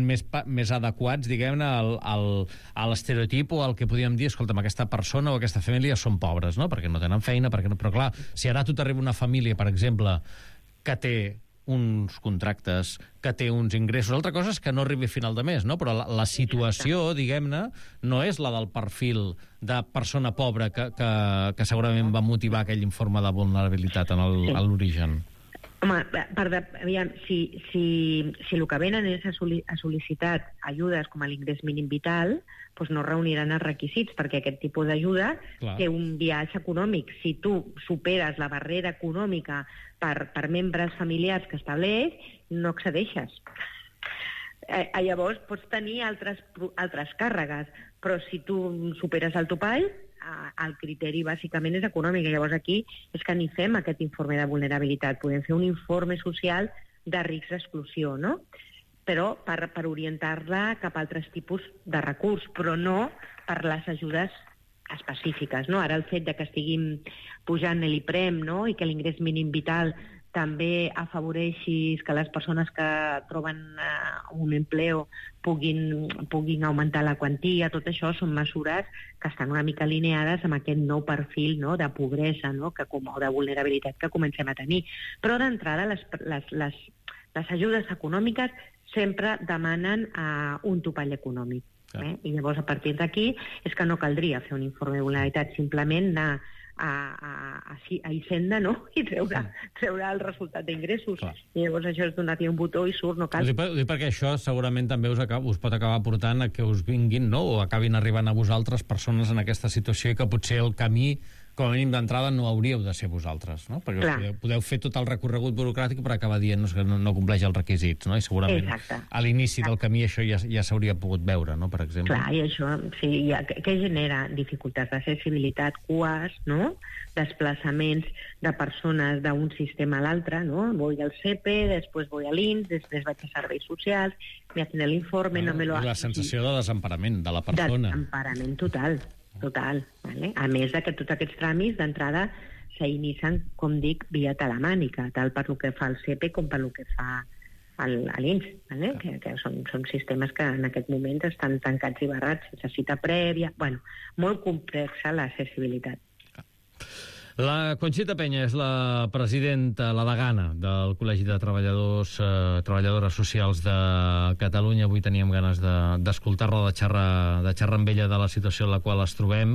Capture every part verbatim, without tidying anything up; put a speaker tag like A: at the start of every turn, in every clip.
A: més, més adequats, diguem-ne, al, al, a l'estereotip o al que podríem dir, escolta'm, aquesta persona o aquesta família són pobres, no? Perquè no tenen feina, perquè no... Però clar, si ara a tu t'arriba una família, per exemple, que té uns contractes, que té uns ingressos. Altra cosa és que no arribi a final de mes, no? Però la, la situació, diguem-ne, no és la del perfil de persona pobra que, que, que segurament va motivar aquell informe de vulnerabilitat en el, a l'origen.
B: Home, per de, aviam, si, si, si el que venen és a, soli, a sol·licitar ajudes com a l'ingrés mínim vital, doncs no reuniran els requisits, perquè aquest tipus d'ajuda té un biaix econòmic. Si tu superes la barrera econòmica per, per membres familiars que estableix, no accedeixes. Eh, llavors pots tenir altres, altres càrregues, però si tu superes el topall, el criteri bàsicament és econòmic. Llavors aquí és que ni fem aquest informe de vulnerabilitat, podem fer un informe social de risc d'exclusió, no? Però per, per orientar-la cap a altres tipus de recurs, però no per les ajudes específiques, no? Ara el fet de que estiguin pujant l'IPREM, no?, i que l'ingrés mínim vital també afavoreixi que les persones que troben uh, un empleo puguin, puguin augmentar la quantia, tot això són mesures que estan una mica alineades amb aquest nou perfil, no?, de pobresa, no?, que, o de vulnerabilitat que comencem a tenir. Però d'entrada les, les, les, les ajudes econòmiques sempre demanen uh, un topall econòmic. Eh? I llavors a partir d'aquí és que no caldria fer un informe de vulnerabilitat, simplement anar a, a, a, a Hisenda, no?, i treure, treure el resultat d'ingressos. I llavors això és donar-li un botó i surt, no cal.
A: Ho dic, ho dic perquè això segurament també us, acaba, us pot acabar portant a que us vinguin, no?, o acabin arribant a vosaltres persones en aquesta situació i que potser el camí, com a mínim d'entrada, no hauríeu de ser vosaltres, no? Perquè podeu, podeu fer tot el recorregut burocràtic per acabar dient que no, no compleix els requisits, no? I segurament Exacte. a l'inici Exacte. del camí això ja, ja s'hauria pogut veure, no?, per exemple.
B: Clar, i això, sí, ja, que genera dificultats d'accessibilitat, cues, no?, desplaçaments de persones d'un sistema a l'altre, no? Voy al C E P E, després voy a l'I N S, després vaig a serveis socials, me hacen l'informe, no, no me lo...
A: La sensació de desemparament de la persona.
B: Desemparament total. Total, vale? A més de que tots aquests tràmits d'entrada s'inicien, com dic, via telemànica, tal per lo que fa el C E P E com per lo que fa a l'I N S, vale? que, que són, són sistemes que en aquest moment estan tancats i barrats sense cita prèvia. Bueno, molt complexa l'accessibilitat.
A: La Conxita Peña és la presidenta, la degana del Col·legi de Treballadors, eh, Treballadores Socials de Catalunya. Avui teníem ganes d'escoltar-la, de, de, xerrar, de xerrar amb ella de la situació en la qual es trobem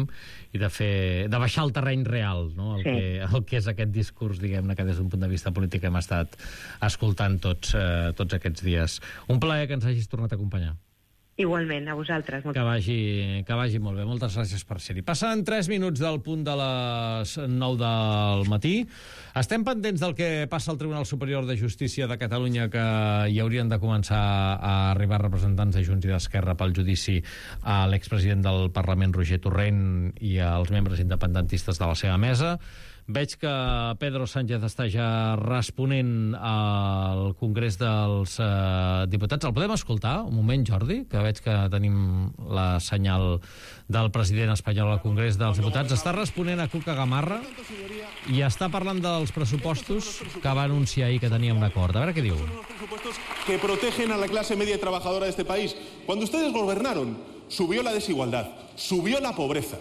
A: i de fer, de baixar al terreny real, no? el, sí. que, el que és aquest discurs, diguem-ne, que des d'un punt de vista polític hem estat escoltant tots, eh, tots aquests dies. Un plaer que ens hagis tornat a acompanyar.
B: Igualment, a vosaltres.
A: Que vagi, que vagi molt bé. Moltes gràcies per ser-hi. Passen tres minuts del punt de les nou del matí. Estem pendents del que passa al Tribunal Superior de Justícia de Catalunya, que hi haurien de començar a arribar representants de Junts i d'Esquerra pel judici a l'expresident del Parlament, Roger Torrent, i als membres independentistes de la seva mesa. Veig que Pedro Sánchez està ja responent al Congrés dels eh, Diputats. El podem escoltar? Un moment, Jordi, que veig que tenim la senyal del president espanyol al Congrés dels Diputats. Està responent a Cuca Gamarra i està parlant dels pressupostos que va anunciar ahir que teníem un acord. A veure què diu.
C: Los presupuestos que protegen a la clase media y trabajadora de este país. Cuando ustedes gobernaron, subió la desigualdad, subió la pobreza.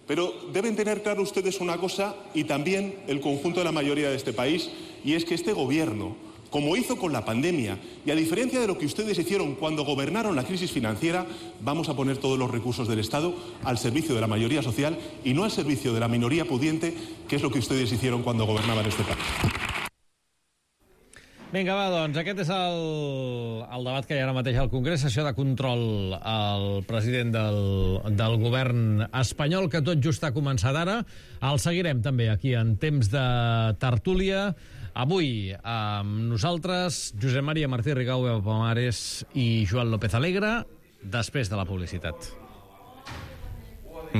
C: Pero deben tener claro ustedes una cosa, y también el conjunto de la mayoría de este país, y es que este gobierno, como hizo con la pandemia, y a diferencia de lo que ustedes hicieron cuando gobernaron la crisis financiera, vamos a poner todos los recursos del Estado al servicio de la mayoría social y no al servicio de la minoría pudiente, que es lo que ustedes hicieron cuando gobernaban este país.
A: Vinga, va, doncs, aquest és el, el debat que hi ha ara mateix al Congrés, sessió de control al president del, del govern espanyol, que tot just ha començat ara. El seguirem també aquí en temps de tertúlia. Avui amb nosaltres, Josep Maria Martí Rigau, Eva Pomares i Joan López Alegre, després de la publicitat.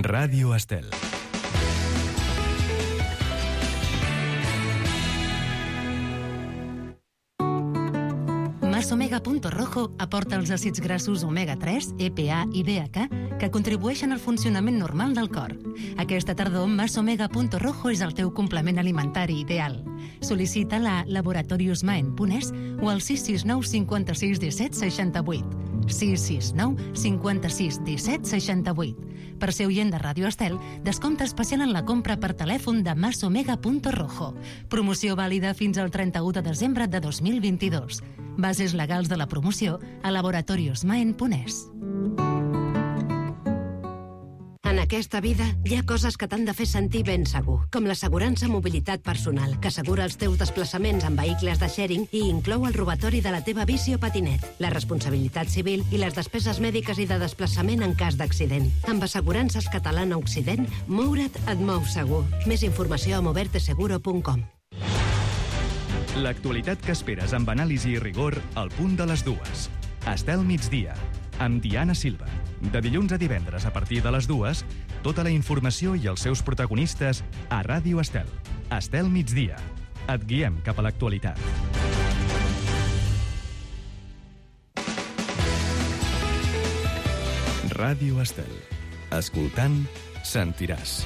D: Ràdio Estel.
E: Omega.rojo aporta els àcids grassos omega tres, E P A i D H A que contribueixen al funcionament normal del cor. Aquesta tardor, Omega.rojo és el teu complement alimentari ideal. Sol·licita-la a laboratorios maen punt es o al sis sis nou cinquanta-sis disset seixanta-vuit. sis sis nou cinquanta-sis disset seixanta-vuit. Per ser oient de Ràdio Estel, descompte especial en la compra per telèfon de masomega.rojo. Promoció vàlida fins al trenta-u de desembre de dos mil vint-i-dos. Bases legals de la promoció a laboratoriosmaen punt es.
D: En aquesta vida hi ha coses que t'han de fer sentir ben segur, com l'assegurança mobilitat personal, que assegura els teus desplaçaments en vehicles de sharing i inclou el robatori de la teva bici o patinet, la responsabilitat civil i les despeses mèdiques i de desplaçament en cas d'accident. Amb Assegurances Catalana Occident, moure't et mou segur. Més informació a moverte seguro punt com.
F: L'actualitat que esperes amb anàlisi i rigor al punt de les dues. Estel migdia, amb Diana Silva. De dilluns a divendres a partir de les dues, tota la informació i els seus protagonistes a Ràdio Estel. Estel migdia. Et guiem cap a l'actualitat. Ràdio Estel. Escoltant, sentiràs.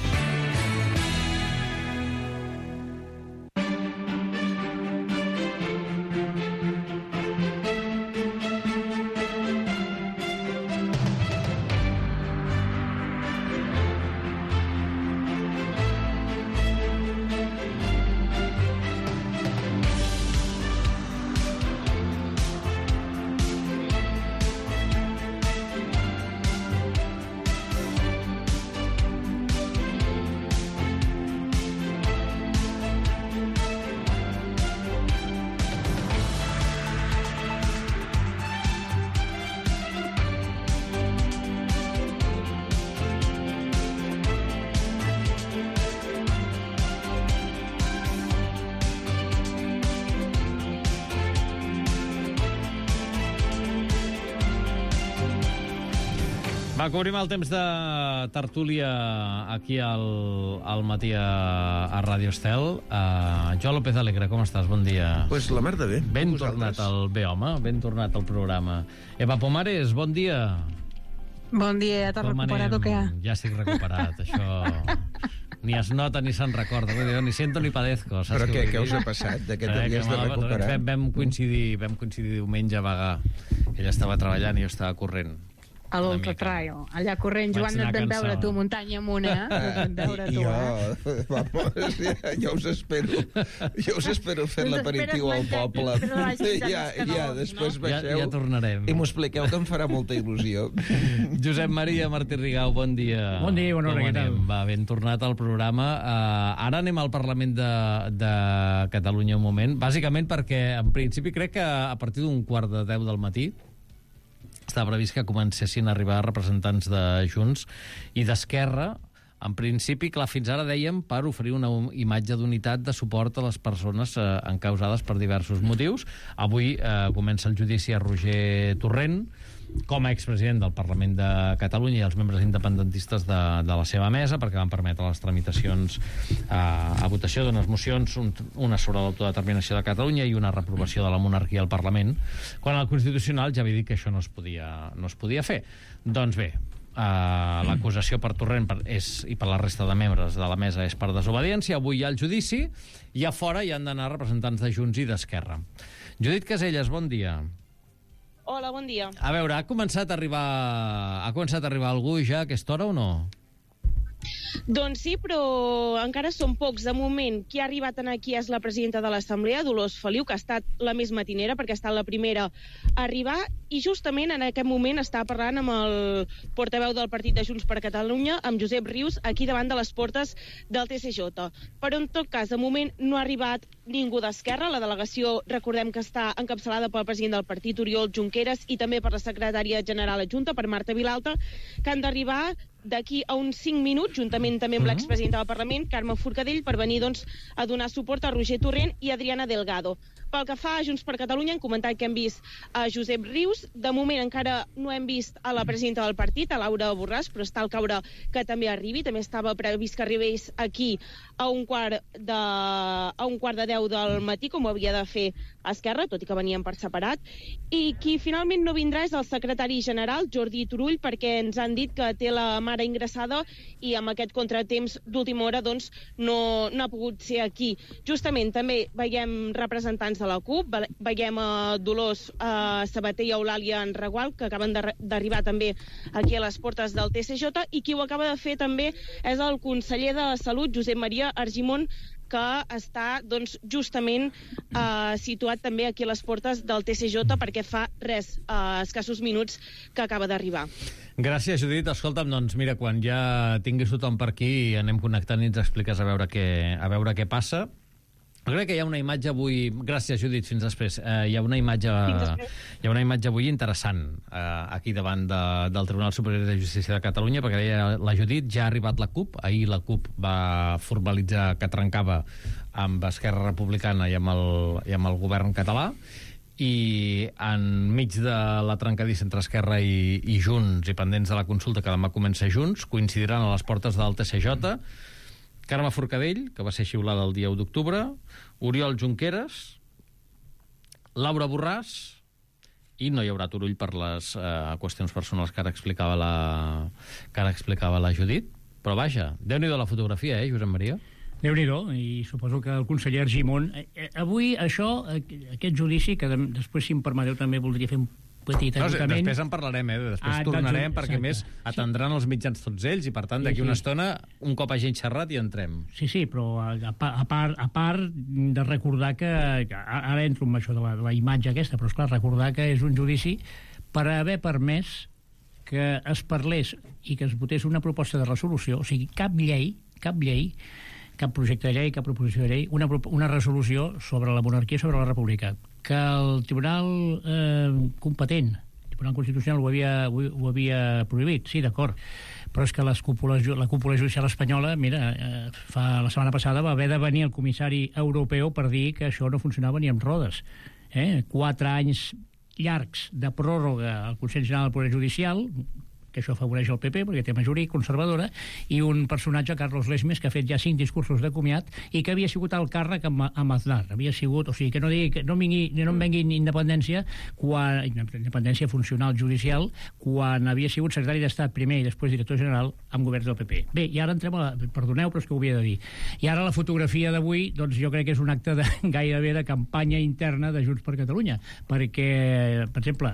A: Va, cobrim el temps de tertúlia aquí al, al matí a, a Ràdio Estel. Uh, Joan López Alegre, com estàs? Bon dia.
G: Pues la merda bé.
A: Ben tornat al bé, home, ben tornat al programa. Eva Pomares, bon dia.
H: Bon dia, t'has recuperat o què?
A: Ja estic recuperat, això... Ni es nota ni se'n recorda. Ni siento ni padezco.
G: Però què, què us ha passat? De què t'havies de recuperar?
A: Vam, vam, coincidir, vam coincidir diumenge a Bagà. Ella estava treballant i jo estava corrent.
H: A l'Ultratrail, allà corrent. Joan, et vam veure tu muntanya amunt, eh? Et vam veure tu,
G: eh? Vamos, ja, ja us espero. Ja us espero fent l'aperitiu al poble. Ja, ja, després baixeu.
A: Ja, ja tornarem.
G: I m'ho expliqueu, que em farà molta il·lusió.
A: Josep Maria Martí Rigau, bon dia.
I: Bon dia, bona hora, què tal?
A: Va, ben tornat al programa. Uh, ara anem al Parlament de, de Catalunya un moment, bàsicament perquè, en principi, crec que a partir d'un quart de deu del matí estava previst que comencessin a arribar representants de Junts i d'Esquerra. En principi, clar, fins ara dèiem per oferir una imatge d'unitat de suport a les persones eh, encausades per diversos motius. Avui eh, comença el judici a Roger Torrent, com a expresident del Parlament de Catalunya i els membres independentistes de, de la seva mesa, perquè van permetre les tramitacions eh, a votació d'unes mocions, un, una sobre l'autodeterminació de Catalunya i una reprovació de la monarquia al Parlament, quan el Constitucional ja havia dit que això no es podia, no es podia fer. Doncs bé, Uh, l'acusació per Torrent per, és, i per la resta de membres de la mesa és per desobediència. Avui hi ha el judici i a fora hi han d'anar representants de Junts i d'Esquerra. Judit Caselles, bon dia.
J: Hola, bon dia.
A: A veure, ha començat a arribar, ha començat a arribar algú ja a aquesta hora o no?
J: Doncs sí, però encara són pocs. De moment, qui ha arribat aquí és la presidenta de l'Assemblea, Dolors Feliu, que ha estat la més matinera, perquè ha estat la primera a arribar, i justament en aquest moment està parlant amb el portaveu del Partit de Junts per Catalunya, amb Josep Rius, aquí davant de les portes del T C J. Però, en tot cas, de moment no ha arribat ningú d'Esquerra. La delegació, recordem que està encapçalada pel president del partit, Oriol Junqueras, i també per la secretària general adjunta, per Marta Vilalta, que han d'arribar d'aquí a uns cinc minuts, juntament també amb l'expresidenta del Parlament, Carme Forcadell, per venir doncs, a donar suport a Roger Torrent i Adriana Delgado. Pel que fa a Junts per Catalunya, hem comentat que hem vist a Josep Rius. De moment encara no hem vist a la presidenta del partit, a Laura Borràs, però està al caure que també arribi. També estava previst que arribés aquí a un quart de, a un quart de deu del matí, com ho havia de fer Esquerra, tot i que venien per separat, i qui finalment no vindrà és el secretari general, Jordi Turull, perquè ens han dit que té la mare ingressada i amb aquest contratemps d'última hora doncs, no, no ha pogut ser aquí. Justament també veiem representants de la CUP, veiem a Dolors a Sabater i Eulàlia Regual, que acaben d'arribar també aquí a les portes del T C J, i qui ho acaba de fer també és el conseller de Salut, Josep Maria Argimon, que està doncs, justament eh, situat també aquí a les portes del T C J perquè fa res, eh, escassos minuts que acaba d'arribar.
A: Gràcies, Judit. Escolta'm, doncs mira, quan ja tinguis tothom per aquí anem connectant i ens expliques a veure què, a veure què passa. Jo crec que hi ha una imatge avui... Gràcies, Judit, fins després. Eh, hi ha una imatge hi ha una imatge avui interessant eh, aquí davant de, del Tribunal Superior de Justícia de Catalunya, perquè deia la Judit, ja ha arribat la CUP. Ahir la CUP va formalitzar que trencava amb Esquerra Republicana i amb el, i amb el govern català, i enmig de la trencadissa entre Esquerra i, i Junts, i pendents de la consulta que demà comença Junts, coincidiran a les portes del T C J Carme Forcadell, que va ser xiulada el dia u d'octubre, Oriol Junqueras, Laura Borràs, i no hi haurà Turull per les eh, qüestions personals que ara explicava la, que ara explicava la Judit. Però vaja, Déu-n'hi-do la fotografia, eh, Josep Maria?
I: Déu-n'hi-do, i suposo que el conseller Argimon... Eh, avui això, aquest judici, que de, després, si em permeteu, també voldria fer un petit acotament...
A: No, després en parlarem, eh? Després ah, tornarem, doncs, perquè, més, atendran els mitjans tots ells, i, per tant, d'aquí sí, sí. una estona, un cop hagi xerrat, i entrem.
I: Sí, sí, però a, a, part, a part de recordar que... Ara entro amb això de la, de la imatge aquesta, però, esclar, recordar que és un judici per haver permès que es parlés i que es votés una proposta de resolució, o sigui, cap llei, cap llei, cap projecte de llei, cap proposició de llei, una, una resolució sobre la monarquia i sobre la república, que el tribunal eh, competent, el tribunal constitucional ho havia, ho, ho havia prohibit, sí, d'acord, però és que les cúpules, la cúpula judicial espanyola, mira, eh, fa, la setmana passada va haver de venir el comissari europeu per dir que això no funcionava ni amb rodes. Eh? Quatre anys llargs de pròrroga al Consell General del Poder Judicial, que això afavoreix el P P perquè té majoria conservadora, i un personatge, Carlos Lesmes, que ha fet ja cinc discursos de comiat i que havia sigut al càrrec amb, amb Aznar. Havia sigut, o sigui, que no digui que no, vingui, no em vengui independència, quan, independència funcional judicial, quan havia sigut secretari d'Estat primer i després director general amb governs del P P. Bé, i ara entrem a la... Perdoneu, però és que ho havia de dir. I ara la fotografia d'avui, doncs jo crec que és un acte de, gairebé de campanya interna de Junts per Catalunya, perquè, per exemple,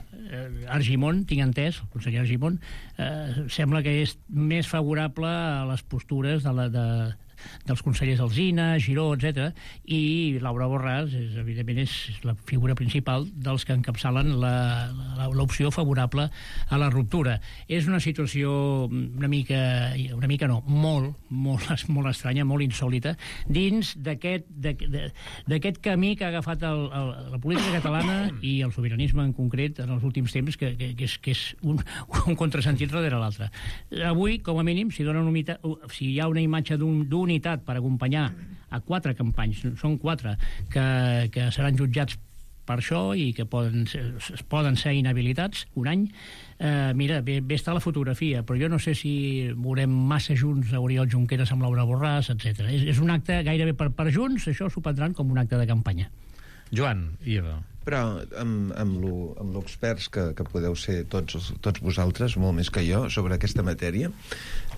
I: Argimon, tinc entès, el conseller Argimon, Eh, sembla que és més favorable a les postures de la, de, dels consellers Alsina, Giró, etcètera, i Laura Borràs, és, evidentment, és la figura principal dels que encapçalen l'opció favorable a la ruptura. És una situació una mica, una mica no, molt, molt, molt estranya, molt insòlita, dins d'aquest camí que ha agafat el, el, la política catalana i el sobiranisme en concret en els últims temps, que, que, que és, que és un, un contrasentit darrere l'altre. Avui, com a mínim, si, dona una, si hi ha una imatge d'un unitat per acompanyar a quatre companys, són quatre, que, que seran jutjats per això i que poden ser, poden ser inhabilitats un any. Eh, mira, bé, bé està la fotografia, però jo no sé si veurem massa junts a Oriol Junqueras amb Laura Borràs, etcètera. És, és un acte gairebé per, per junts, això s'ho prendran com un acte de campanya.
A: Joan, i Eva.
G: Però amb, amb l'experts que, que podeu ser tots, tots vosaltres, molt més que jo, sobre aquesta matèria,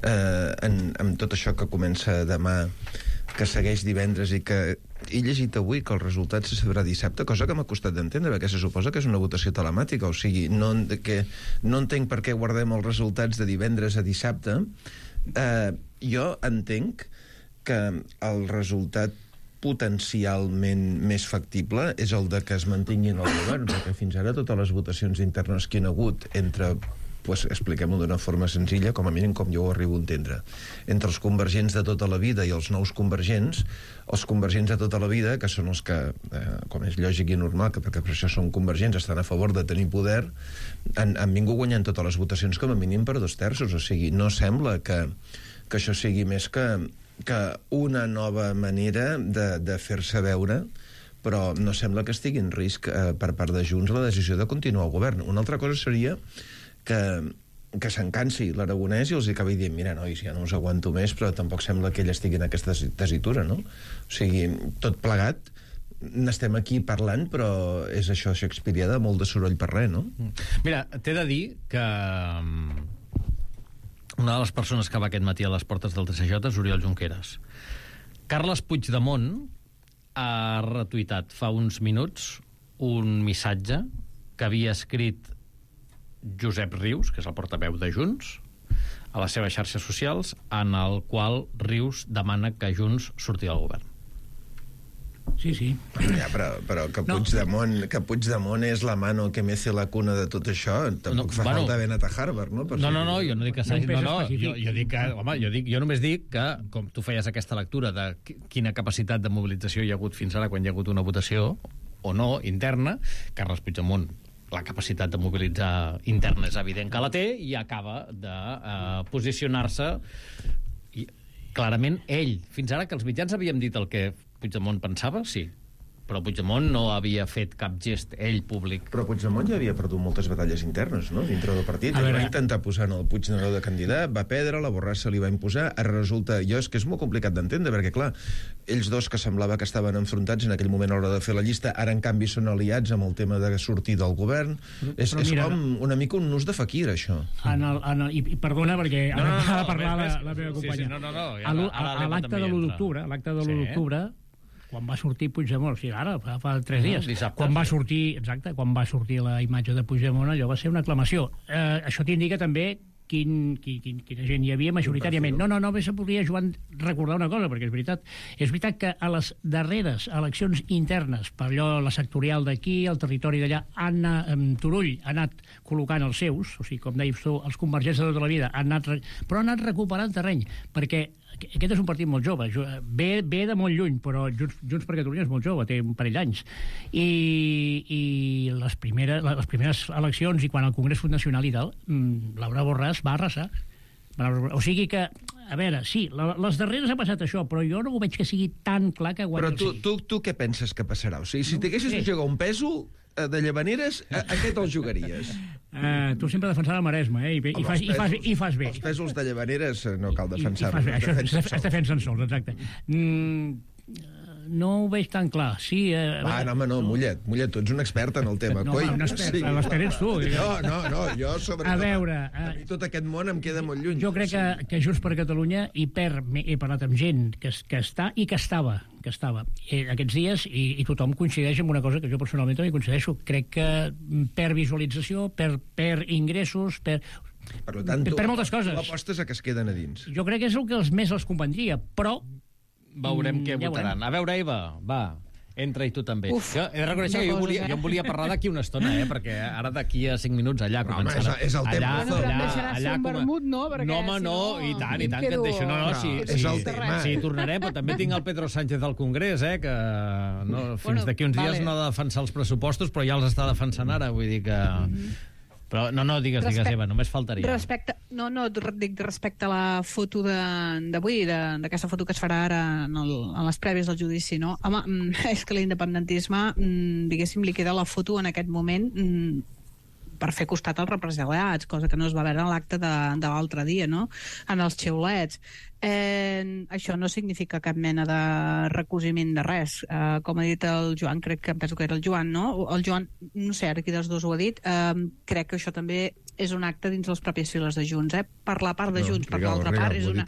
G: eh, en, amb tot això que comença demà, que segueix divendres i que he llegit avui que el resultat se sabrà dissabte, cosa que m'ha costat d'entendre, perquè se suposa que és una votació telemàtica, o sigui, no, que, no entenc per què guardem els resultats de divendres a dissabte. Eh, jo entenc que el resultat potencialment més factible és el de que es mantinguin el govern, perquè fins ara totes les votacions internes que hi ha hagut entre, pues, expliquem-ho d'una forma senzilla, com a mínim com jo ho arribo a entendre, entre els convergents de tota la vida i els nous convergents, els convergents de tota la vida, que són els que, eh, com és lògic i normal, que perquè per això són convergents, estan a favor de tenir poder, han, han vingut guanyant totes les votacions com a mínim per dos terços, o sigui, no sembla que, que això sigui més que que una nova manera de, de fer-se veure, però no sembla que estigui en risc eh, per part de Junts la decisió de continuar al govern. Una altra cosa seria que, que s'encansi l'Aragonès i els acabi dient, mira, nois, ja no us aguanto més, però tampoc sembla que ell estigui en aquesta tesitura, no? O sigui, tot plegat, n'estem aquí parlant, però és això shakespearià, molt de soroll per res, no?
A: Mira, t'he de dir que una de les persones que va aquest matí a les portes del T C J és Oriol Junqueras. Carles Puigdemont ha retuitat fa uns minuts un missatge que havia escrit Josep Rius, que és el portaveu de Junts, a les seves xarxes socials, en el qual Rius demana que Junts surti del govern.
I: Sí, sí.
G: Ja, però, però que, Puigdemont, no. que Puigdemont és la mano que mece la cuna de tot això, tampoc no, fa bueno, falta haver anat a Harvard, no? Per
A: no,
G: si...
A: no, no, jo no dic que s'hagi... No, no, jo, jo, dic que, home, jo, dic, jo només dic que, com tu feies aquesta lectura de quina capacitat de mobilització hi ha hagut fins ara quan hi ha hagut una votació, o no, interna, Carles Puigdemont, la capacitat de mobilitzar interna és evident que la té, i acaba de uh, posicionar-se i, clarament ell. Fins ara que els mitjans havíem dit el que Puigdemont pensava, sí, però Puigdemont no havia fet cap gest ell públic.
G: Però Puigdemont ja havia perdut moltes batalles internes, no?, dintre del partit. Ell va intentar posar en el Puigneró de candidat, va perdre, la Borràs se li va imposar, ara resulta... Jo és que és molt complicat d'entendre, perquè, clar, ells dos que semblava que estaven enfrontats en aquell moment a l'hora de fer la llista, ara, en canvi, són aliats amb el tema de sortir del govern. Però, és és mira, com una mica un nus de faquir, això.
I: En el, en el, i, I perdona, perquè no, no, no, ha de parlar no, la, la meva companya.
A: Sí, sí, no, no, no, ja,
I: a, a l'acte de l'u d'octubre, l'acte de l'u d'octubre, quan va sortir Puigdemont, o sigui, ara, fa, fa tres dies, no, quan va sortir, exacte, quan va sortir la imatge de Puigdemont, allò va ser una aclamació. Eh, això t'indica també quin, quin, quin, quina gent hi havia majoritàriament. No, no, només se podria, Joan, recordar una cosa, perquè és veritat, és veritat que a les darreres eleccions internes, per allò la sectorial d'aquí, el territori d'allà, Anna Turull ha anat col·locant els seus, o sigui, com deies tu, els convergents de tota la vida, han anat, però han anat recuperant terreny, perquè aquest és un partit molt jove, ve, ve de molt lluny, però Junts, Junts per Catalunya és molt jove, té un parell d'anys. I, i les, primeres, les primeres eleccions, i quan el Congrés Nacional i tal, Laura Borràs va arrasar. O sigui que, a veure, sí, les darreres ha passat això, però jo no ho veig que sigui tan clar que guanyi.
G: Però tu, tu, tu què penses que passarà? O sigui, si t'haguessis de jugar un pèsol de Llavaneres, a, a què te'l jugaries?
I: Uh, tu sempre defensar el Maresme, eh? I, i, fas, i, fas, i fas bé.
G: Els pèsols de Llavaneres no cal defensar-los.
I: Això es, es defensen sols, exacte. Mm, no ho veig tan clar. Sí, eh,
G: Va, no, home, no, Mullet, Mullet, tu ets un expert en el tema.
I: No,
G: Coi,
I: un expert, sí. L'expert ets tu.
G: No, no, no, jo sobre...
I: A veure...
G: A mi tot aquest món em queda molt lluny.
I: Jo crec que, que Junts per Catalunya hi perd, he parlat amb gent que, que està i que estava, que estava eh, aquests dies, i, i tothom coincideix amb una cosa que jo personalment també coincideixo. Crec que perd visualització, perd, perd ingressos, perd...
G: Per tant, tu,
I: per moltes coses.
G: Tu apostes a que es queden a dins.
I: Jo crec que és el que els més els convendria, però...
A: Veurem què ja votaran. A veure, Eva, va, entra i tu també. Uf, jo he de reconèixer que jo volia, jo em volia parlar d'aquí una estona, eh? Perquè ara d'aquí a cinc minuts allà
G: no, començarà. Home, és, és el
A: allà,
G: temps.
H: Allà, allà, allà, allà com... vermut, no? Perquè,
A: no, home, no,
H: si no,
A: i tant, i tant, que et deixo. No, no,
G: no,
A: sí,
G: és
A: sí,
G: el tema.
A: Sí, tornarem, però també tinc el Pedro Sánchez al Congrés, eh? Que no, fins bueno, d'aquí uns dies vale. No ha de defensar els pressupostos, però ja els està defensant ara, vull dir que... Mm-hmm. Però no, no, digues, Respe... digues, Eva, només faltaria.
H: Respecte, no, no, dic respecte a la foto d'avui, d'aquesta foto que es farà ara en, el, en les prèvies del judici, no? Home, és que l'independentisme, diguéssim, li queda la foto en aquest moment per fer costat als represaliats, cosa que no es va veure en l'acte de, de l'altre dia, no? En els xiulets. Eh, això no significa cap mena de recosiment de res. Eh, com ha dit el Joan, crec que penso que era el Joan, no? El Joan, no sé, ara qui dels dos ho ha dit, eh, crec que això també és un acte dins les pròpies files de Junts, eh? Per la part de Junts, no, per l'altra part... És una...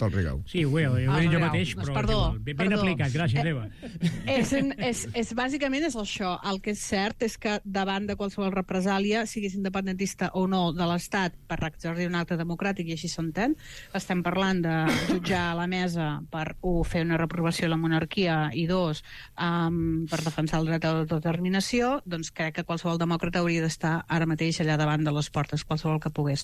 I: Sí, ho he, ho he dit jo mateix, però
H: perdó,
I: ben
H: perdó.
I: aplicat, gràcies,
H: eh,
I: Eva.
H: És, és, és, bàsicament és això. El que és cert és que davant de qualsevol represàlia, siguis independentista o no de l'Estat, per exercir un acte democràtic, i així s'entén, estem parlant de jutjar a la mesa per, un, fer una reprovació a la monarquia, i dos, um, per defensar el dret a l'autodeterminació, doncs crec que qualsevol demòcrata hauria d'estar ara mateix allà davant de les portes, qualsevol que pogués.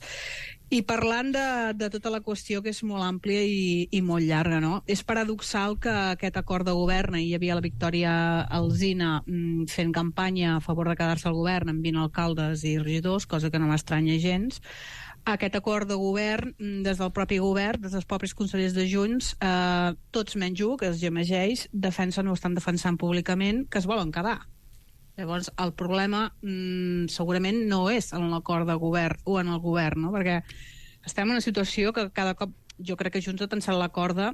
H: I parlant de, de tota la qüestió, que és molt àmplia i, i molt llarga, no? És paradoxal que aquest acord de govern, hi havia la Victòria Alsina mm, fent campanya a favor de quedar-se al govern amb vint alcaldes i regidors, cosa que no m'estranya gens. Aquest acord de govern, des del propi govern, des dels propis consellers de Junts, eh, tots menys un, que es gemegeix, defensen o estan defensant públicament que es volen quedar. Llavors, el problema mmm, segurament no és en l'acord de govern o en el govern, no? Perquè estem en una situació que cada cop, jo crec que Junts ha tensat la corda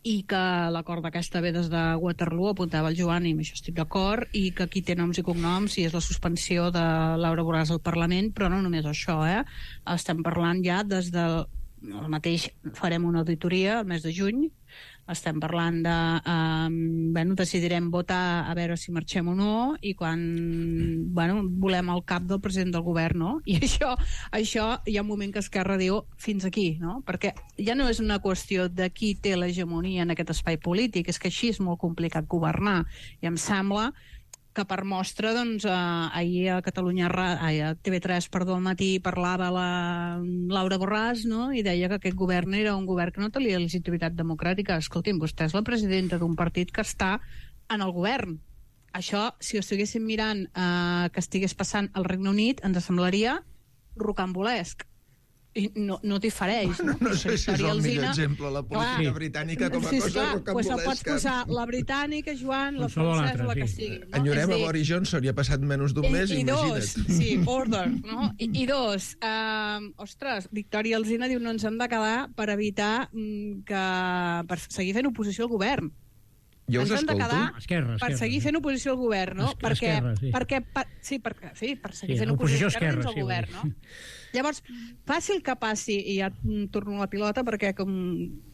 H: i que l'acord d'aquesta ve des de Waterloo, apuntava el Joan, i amb això estic d'acord, i que aquí té noms i cognoms, i és la suspensió de Laura Borràs al Parlament, però no només això, eh? Estem parlant ja des del... El mateix farem una auditoria el mes de juny, estem parlant de... Um, bueno, decidirem votar a veure si marxem o no, i quan bueno, volem el cap del president del govern, no? I això, això hi ha un moment que Esquerra diu fins aquí, no? Perquè ja no és una qüestió de qui té l'hegemonia en aquest espai polític, és que així és molt complicat governar, i em sembla que per mostra, doncs, eh, ahir a Catalunya, ai, a T V tres, perdó, al matí parlava la Laura Borràs, no?, i deia que aquest govern era un govern que no tenia legitimitat democràtica. Escolti'm, vostè és la presidenta d'un partit que està en el govern. Això, si ho estiguéssim mirant eh, que estigués passant al Regne Unit, ens semblaria rocambolesc. I no, no t'hi fareix, no?
G: No sé si és el millor exemple, la política
H: clar,
G: britànica com a
H: sí,
G: cosa
H: clar,
G: rocambolesca.
H: Pues pots posar la britànica, Joan, la francesa, la que sigui. No?
G: Enyorem a Boris Johnson, i ha passat menys d'un mes,
H: i, i
G: imagina't.
H: Dos, sí, order, no? I, i dos, um, ostres, Victòria Alsina diu no ens hem de quedar per evitar mm, que... per seguir fent oposició al govern.
G: Jo us
H: ens hem de
G: escolto.
H: quedar
I: Esquerra,
H: per
I: esquerra,
H: seguir
I: sí.
H: fent oposició al govern, no?
I: Es-
H: perquè,
I: esquerra, sí.
H: perquè, per, sí, per, sí, per seguir
I: Sí,
H: fent
I: oposició
H: oposició
I: esquerra,
H: esquerra al
I: sí,
H: govern,
I: vull dir.
H: no? Llavors, passi el que passi, i ja mm, torno a la pilota, perquè, com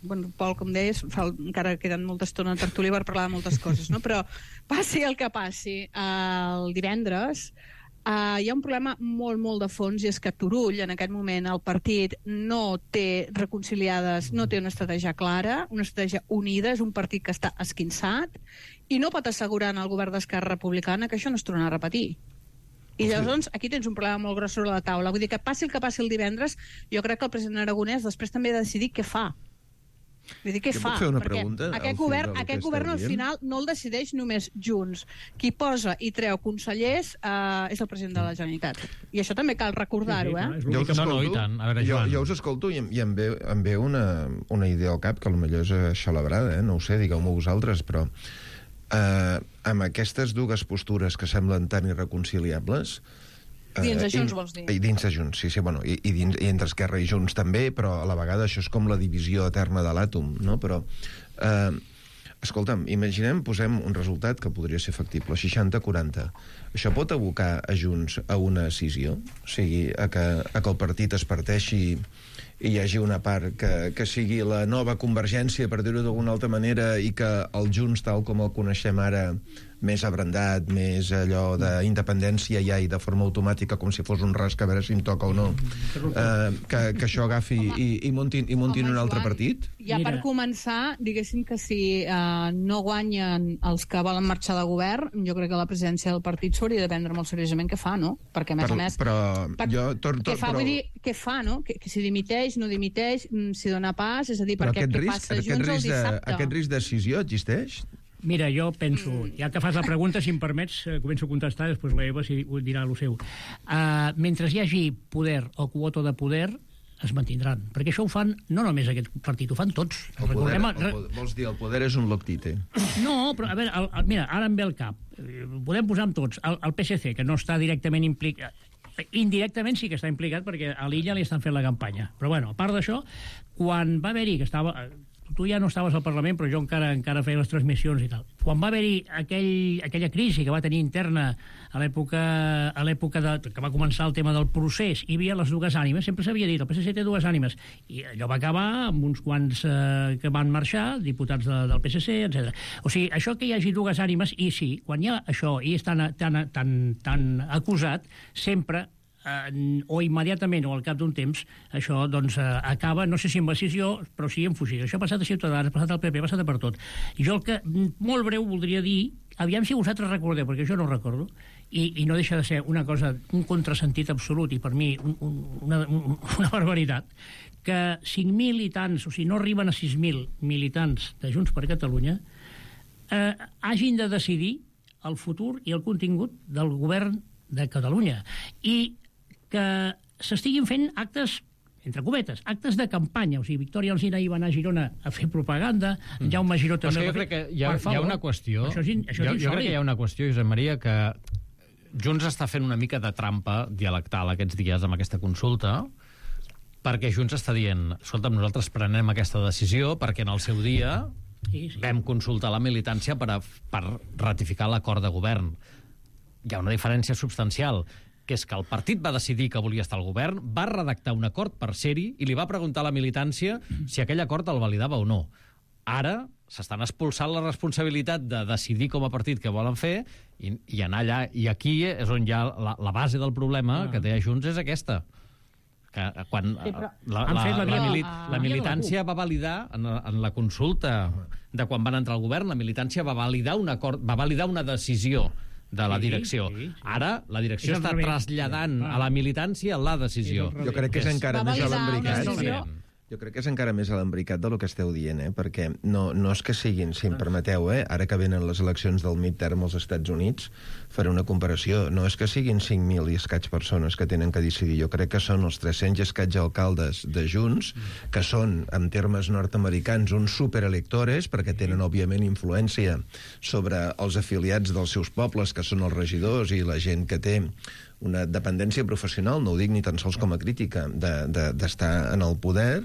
H: bueno, Pol, com deies, fa, encara queden molta estona en tertúlia per parlar de moltes coses, no? Però passi el que passi el divendres, Uh, hi ha un problema molt, molt de fons, i és que Turull, en aquest moment, el partit no té reconciliades, no té una estratègia clara, una estratègia unida, és un partit que està esquinçat, i no pot assegurar al govern d'Esquerra Republicana que això no es tornarà a repetir. I llavors aquí tens un problema molt gros sobre la taula. Vull dir que passi el que passi el divendres, jo crec que el president Aragonès després també ha de decidir què fa. Vull dir, què
G: Jo
H: fa?
G: puc fer una
H: Perquè
G: pregunta al
H: aquest
G: fil
H: govern,
G: del que
H: aquest
G: esteu
H: govern al
G: dient?
H: final no el decideix només Junts. Qui posa i treu consellers eh, és el president de la Generalitat. I això també cal recordar-ho, eh?
G: Jo us
A: No, no,
G: escolto,
A: i tant. A veure,
G: jo,
A: Joan.
G: jo us escolto i, em- i em ve, em ve una, una idea al cap, que potser és aixalabrada, eh? No ho sé, digueu-m'ho vosaltres, però eh, amb aquestes dues postures que semblen tan irreconciliables... eh,
H: Dins de Junts,
G: i-
H: vols dir?
G: I dins de Junts, sí, sí, bueno, i, i, dins, i entre Esquerra i Junts també, però a la vegada això és com la divisió eterna de l'àtom, no? Però... Eh, escolta'm, imaginem, posem un resultat que podria ser factible, seixanta a quaranta. Això pot abocar a Junts a una escissió? O sigui, a que, a que el partit es parteixi i hi hagi una part que, que sigui la nova Convergència, per dir-ho d'alguna altra manera, i que el Junts, tal com el coneixem ara, més abrandat, més allò d'independència ja i de forma automàtica, com si fos un rasc, a veure si em toca o no, eh, que, que això agafi i, i muntin, i muntin
H: Home,
G: un altre
H: Joan,
G: partit?
H: Ja per
I: Mira.
H: començar, diguéssim que si eh, no guanyen els que volen marxar de govern, jo crec que la presidència del partit s'hauria de prendre molt seriosament què fa, no? Perquè, a més
G: Per-
H: a més...
G: però
H: per-
G: jo tor- tor-
H: què fa,
G: però-
H: vull dir, què fa, no? Que, que si dimiteix, no dimiteix, mm, si dona pas, és a dir,
G: Però
H: perquè
G: aquest
H: què
G: risc,
H: passa
G: aquest
H: Junts el
G: risc, de,
H: dissabte?
G: aquest risc de decisió existeix?
I: Mira, jo penso, ja que fas la pregunta, si em permets, eh, començo a contestar, després la Eva si dirà el seu. Uh, mentre hi hagi poder o quota de poder, es mantindran. Perquè això ho fan, no només aquest partit, ho fan tots.
G: El poder,
I: Recordem...
G: el poder, vols dir, el poder és un loctite.
I: No, però a veure, el, el, mira, ara em ve el cap. Eh, Podem posar amb tots. El, el P S C, que no està directament implicat... Indirectament sí que està implicat perquè a l'Illa li estan fent la campanya. Però bueno, a part d'això, quan va haver-hi, que estava... Tu ja no estaves al Parlament, però jo encara encara feia les transmissions i tal. Quan va haver-hi aquell, aquella crisi que va tenir interna a l'època a l'època de, que va començar el tema del procés, hi havia les dues ànimes, sempre s'havia dit, el P S C té dues ànimes, i allò va acabar amb uns quants eh, que van marxar, diputats de, del P S C, etcètera. O sigui, això que hi hagi dues ànimes, i sí, quan hi ha això i és tan, tan, tan, tan acusat, sempre eh, o immediatament o al cap d'un temps això doncs eh, acaba, no sé si amb decisió però sí en fugida. Això ha passat a Ciutadans, ha passat al P P, ha passat per tot. I jo el que molt breu voldria dir, aviam si vosaltres recordeu, perquè jo no ho recordo, i, i no deixa de ser una cosa, un contrasentit absolut, i per mi un, un, una, un, una barbaritat, que cinc mil i tants, o sigui, no arriben a sis mil militants de Junts per Catalunya eh, hagin de decidir el futur i el contingut del govern de Catalunya. I que s'estiguin fent actes, entre cometes, actes de campanya. O sigui, Victòria Alsina hi va anar a Girona a fer propaganda, mm. Jaume Giró
A: Però és
I: també...
A: que jo crec que hi ha, hi ha una qüestió...
I: Això és, in, això
A: jo,
I: és
A: jo crec que hi ha una qüestió, Josep Maria, que Junts està fent una mica de trampa dialectal aquests dies amb aquesta consulta, perquè Junts està dient, escolta'm, nosaltres prenem aquesta decisió perquè en el seu dia sí, sí. vam consultar la militància per, a, per ratificar l'acord de govern. Hi ha una diferència substancial, que és que el partit va decidir que volia estar al govern, va redactar un acord per ser-hi i li va preguntar a la militància si aquell acord el validava o no. Ara s'estan expulsant la responsabilitat de decidir com a partit què volen fer i, i anar allà. I aquí és on hi ha la, la base del problema ah. que té Junts és aquesta. Que quan sí, però... la, la, la, la, mili la militància va validar en, en la consulta de quan van entrar al govern, la militància va validar un acord, va validar una decisió de la direcció. Sí, sí, sí. Ara la direcció està traslladant a la militància la decisió.
G: Jo crec que és encara més alambricat. Jo crec que és encara més alambricat del que esteu dient, eh? Perquè no, no és que siguin, si em permeteu, eh? Ara que venen les eleccions del midterm als Estats Units, faré una comparació, no és que siguin cinc mil i escaig persones que tenen que decidir, jo crec que són els tres-cents i escaig alcaldes de Junts, que són, en termes nord-americans, uns superelectores, perquè tenen, òbviament, influència sobre els afiliats dels seus pobles, que són els regidors i la gent que té una dependència professional, no ho dic ni tan sols com a crítica, d'estar de, de, en el poder,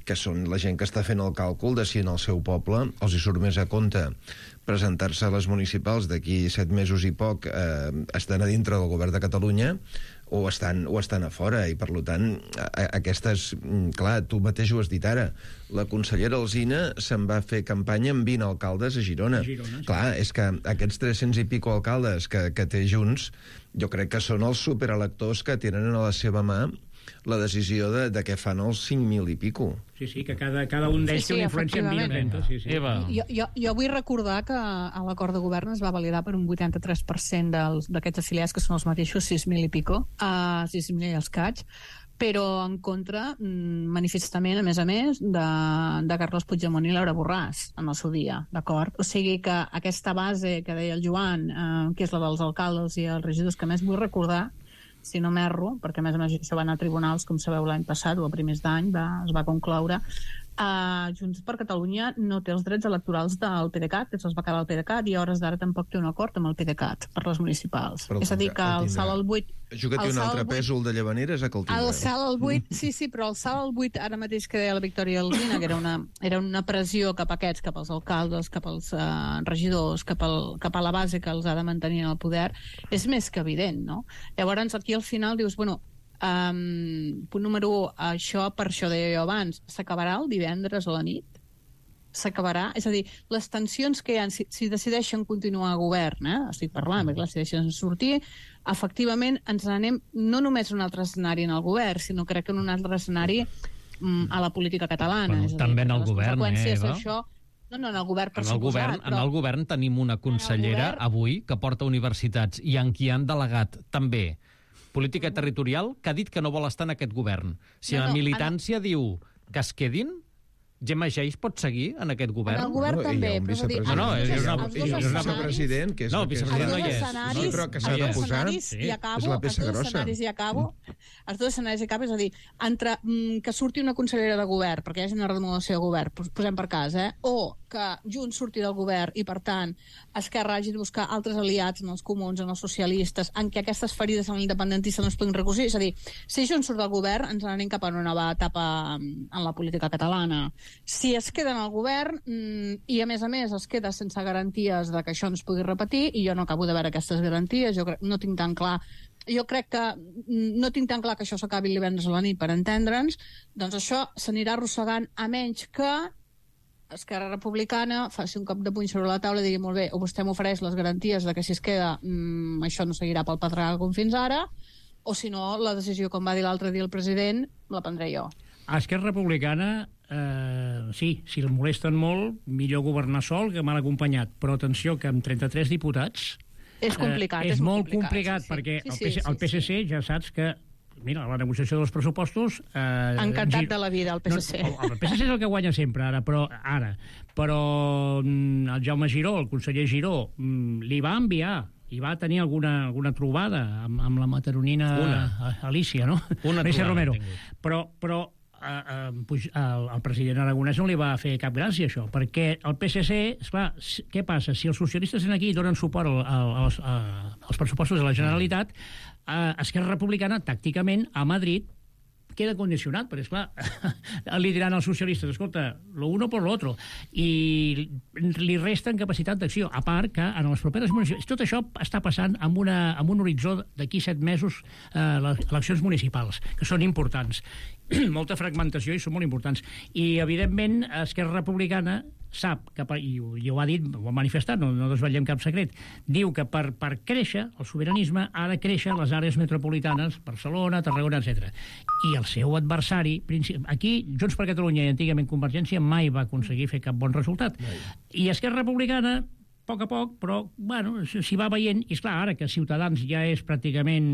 G: que són la gent que està fent el càlcul de si en el seu poble els hi surt més a compte presentar-se a les municipals d'aquí set mesos i poc eh, estan a dintre del govern de Catalunya o estan, o estan a fora, i per tant a, aquestes, clar, tu mateix ho has dit ara, la consellera Alsina se'n va fer campanya amb vint alcaldes a Girona, a Girona sí. Clar, és que aquests tres-cents i pico alcaldes que, que té Junts, jo crec que són els superelectors que tenen a la seva mà la decisió de, de què fan els cinc mil i pico.
I: Sí, sí, que cada, cada un d'ells sí, sí, té una influència en vint trenta. Sí, sí.
H: Jo, jo, jo vull recordar que a l'acord de govern es va validar per un vuitanta-tres per cent d'aquests afiliats, que són els mateixos sis mil i pico, a sis mil i escaig, però en contra, manifestament, a més a més, de, de Carles Puigdemont i Laura Borràs, en el seu dia, d'acord? O sigui que aquesta base que deia el Joan, eh, que és la dels alcaldes i els regidors, que més vull recordar, si no m'erro, perquè a més a més això va anar a tribunals, com sabeu, l'any passat o a primers d'any es va concloure, uh, Junts per Catalunya no té els drets electorals del PDeCAT, que se'ls va quedar el PDeCAT, i a hores d'ara tampoc té un acord amb el PDeCAT per les municipals. Però és a dir, que el salt al buit...
G: Juga-t'hi un altre pèsol de Llavaneres a que el tindrà.
H: El salt al buit, sí, sí, però el salt al buit, ara mateix que deia la Victòria Alsina, que era una, era una pressió cap a aquests, cap als alcaldes, cap als uh, regidors, cap, al, cap a la base que els ha de mantenir en el poder, és més que evident, no? Llavors, aquí al final dius, bueno, um, punt número un, això, per això deia jo abans, s'acabarà el divendres a la nit? S'acabarà? És a dir, les tensions que hi ha, si, si decideixen continuar a govern, eh? estic parlant, perquè si decideixen sortir, efectivament ens n'anem no només a un altre escenari en el govern, sinó crec que en un altre escenari mm, a la política catalana.
A: Bueno,
H: és a dir,
A: també en el govern, eh, Eva?
H: Això, no, no, en el govern, per
A: en el govern,
H: però...
A: en el govern tenim una consellera govern... avui que porta universitats i en qui han delegat també política territorial que ha dit que no vol estar en aquest govern. Si no, no, la militància en... diu que es quedin, Gemma Geis pot seguir en aquest govern?
H: En el govern
G: no,
H: també,
G: però és
H: dir...
G: No,
A: no, és una,
G: és una president, que és
A: no, el vicepresident no hi és.
G: No, però que s'ha de posar,
H: sí. I acabo,
G: és la peça
H: els dos
G: grossa.
H: escenaris i acabo, els dos escenaris i acabo, és a dir, entre mm, que surti una consellera de govern, perquè hi hagi una remodelació de govern, posem per cas, eh? O que Junts surti del govern i, per tant, Esquerra hagi de buscar altres aliats en els comuns, en els socialistes, en què aquestes ferides en l'independentista no es puguin recosir. És a dir, si Junts surt del govern, ens n'anem cap a una nova etapa en la política catalana. Si es queda en el govern mmm, i, a més a més, es queda sense garanties de que això no es pugui repetir, i jo no acabo de veure aquestes garanties, jo crec, no tinc tan clar jo crec que no tinc tan clar que això s'acabi el divendres a la nit, per entendre'ns, doncs això s'anirà arrossegant, a menys que Esquerra Republicana faci un cop de puny sobre la taula i digui, molt bé, o vostè m'ofereix les garanties de que si es queda mmm, això no seguirà pel pedregar com fins ara, o si no, la decisió, com va dir l'altre dia el president, la prendré jo.
I: A Esquerra Republicana, eh, sí, si el molesten molt, millor governar sol que mal acompanyat, però atenció que amb trenta-tres diputats
H: és complicat,
I: eh, és,
H: és
I: molt
H: complicat,
I: complicat
H: sí, sí.
I: perquè
H: sí,
I: el,
H: sí,
I: P S,
H: sí,
I: el P S C sí. ja saps que, mira, la negociació dels pressupostos... Eh,
H: Encantat gir... de la vida, el P S C.
I: No, el P S C és el que guanya sempre, ara, però, ara, però el Jaume Giró, el conseller Giró, li va enviar i va tenir alguna, alguna trobada amb, amb la mataronina Una. Alicia, no?
A: Una
I: Alicia
A: trobada,
I: Romero.
A: tingut.
I: Però, però Uh, uh, el, el president aragonès no li va fer cap gràcia això, perquè el P S C, esclar, què passa? Si els socialistes aquí donen suport al, al, als, uh, als pressupostos de la Generalitat, uh, Esquerra Republicana, tàcticament, a Madrid, queda condicionat, perquè, esclar, li diran als socialistes, escolta, lo uno por lo otro, i li resten capacitat d'acció, a part que en les properes municipals... Tot això està passant amb, una, amb un horitzó d'aquí set mesos eh, les eleccions municipals, que són importants. Molta fragmentació i són molt importants. I, evidentment, Esquerra Republicana sap, que per, i, i ho ha dit, ho ha manifestat, no, no desvetllem cap secret, diu que per, per créixer el sobiranisme ha de créixer les àrees metropolitanes, Barcelona, Tarragona, etcètera. I el seu adversari, aquí Junts per Catalunya i antigament Convergència mai va aconseguir fer cap bon resultat. I Esquerra Republicana, a poc a poc, però, bueno, s'hi va veient, i esclar, ara que Ciutadans ja és pràcticament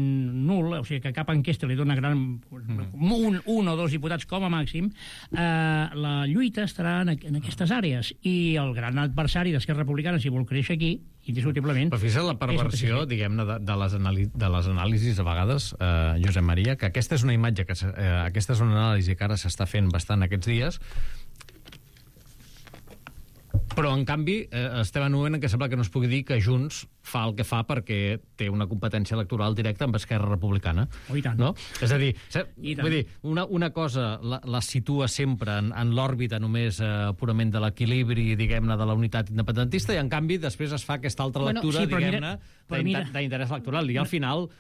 I: nul, o sigui que cap enquesta li dona gran... un, un o dos diputats com a màxim, eh, la lluita estarà en, en aquestes àrees, i el gran adversari d'Esquerra Republicana, si vol créixer aquí, indiscutiblement...
A: Però fixa't la perversió, diguem-ne, de, de, les de les anàlisis a vegades, eh, Josep Maria, que aquesta és una imatge, que eh, aquesta és una anàlisi que ara s'està fent bastant aquests dies, però, en canvi, eh, estem en un moment en què sembla que no es pugui dir que Junts fa el que fa perquè té una competència electoral directa amb Esquerra Republicana.
I: Oh, i tant.
A: No? És a dir, vull dir una, una cosa la, la situa sempre en, en l'òrbita només eh, purament de l'equilibri, diguem-ne, de la unitat independentista, i, en canvi, després es fa aquesta altra lectura, bueno, sí, diguem-ne, d'interès electoral. I, al final,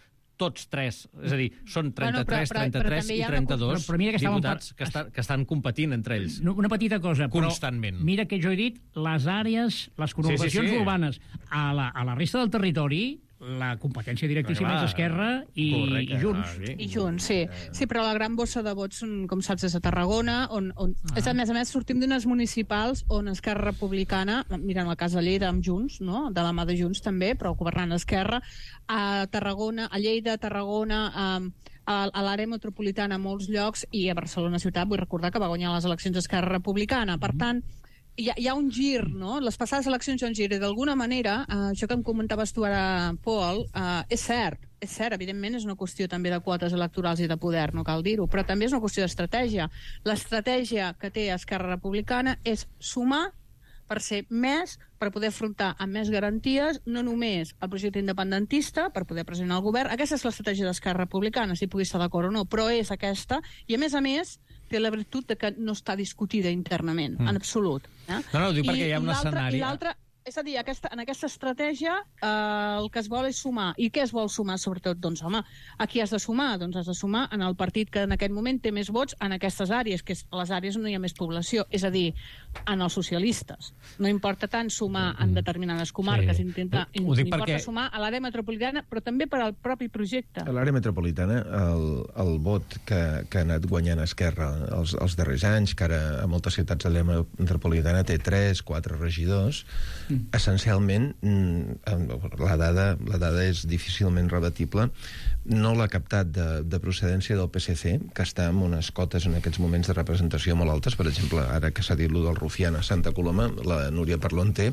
A: tots tres, és a dir, són trenta-tres, trenta-tres i trenta-dos diputats que, està, que estan competint entre ells.
I: Una petita cosa,
A: constantment.
I: Però mira que jo he dit les àrees, les conurbacions sí, sí, sí. urbanes. A la, a la resta del territori, la competència directíssima és Esquerra i, correcte, i Junts.
H: Ah, I Junts, sí. Sí, però la gran bossa de vots, com saps, és a Tarragona, on, on ah. és, a més a més, sortim d'unes municipals on Esquerra Republicana, mirant el cas de Lleida amb Junts, no? De la mà de Junts també, però governant Esquerra, a Tarragona, a Lleida, a Tarragona, a, a, a l'àrea metropolitana a molts llocs, i a Barcelona ciutat, vull recordar que va guanyar les eleccions Esquerra Republicana. Per tant, Hi ha, hi ha un gir, no? Les passades eleccions hi ha un gir, i d'alguna manera, eh, això que em comentaves tu ara, Pol, eh, és cert, és cert, evidentment és una qüestió també de quotes electorals i de poder, no cal dir-ho, però també és una qüestió d'estratègia. L'estratègia que té Esquerra Republicana és sumar per ser més, per poder afrontar amb més garanties, no només el projecte independentista, per poder pressionar el govern. Aquesta és l'estratègia d'Esquerra Republicana, si pugui estar d'acord o no, però és aquesta, i a més a més té la virtut de que no està discutida internament, mm. en absolut. Eh?
A: No, no, ho dic perquè hi ha un escenari...
H: I l'altre, és a dir, aquesta, en aquesta estratègia eh, el que es vol és sumar. I què es vol sumar, sobretot? Doncs, home, a qui has de sumar? Doncs has de sumar en el partit que en aquest moment té més vots en aquestes àrees, que és les àrees on hi ha més població, és a dir, en els socialistes. No importa tant sumar en determinades comarques, sí. intenta, importa perquè... sumar a l'àrea metropolitana, però també per al propi projecte.
G: A l'àrea metropolitana, el, el vot que, que ha anat guanyant Esquerra els, els darrers anys, que ara a moltes ciutats de l'àrea metropolitana té tres, quatre regidors, mm. essencialment la dada, la dada és difícilment rebatible, no l'ha captat de, de procedència del P S C, que està amb unes cotes en aquests moments de representació molt altes. Per exemple, ara que s'ha dit lo del Rufián a Santa Coloma, la Núria Parlon té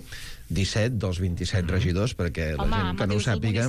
G: disset dels vint-i-set mm. regidors, perquè la home, gent que no ho sàpiga...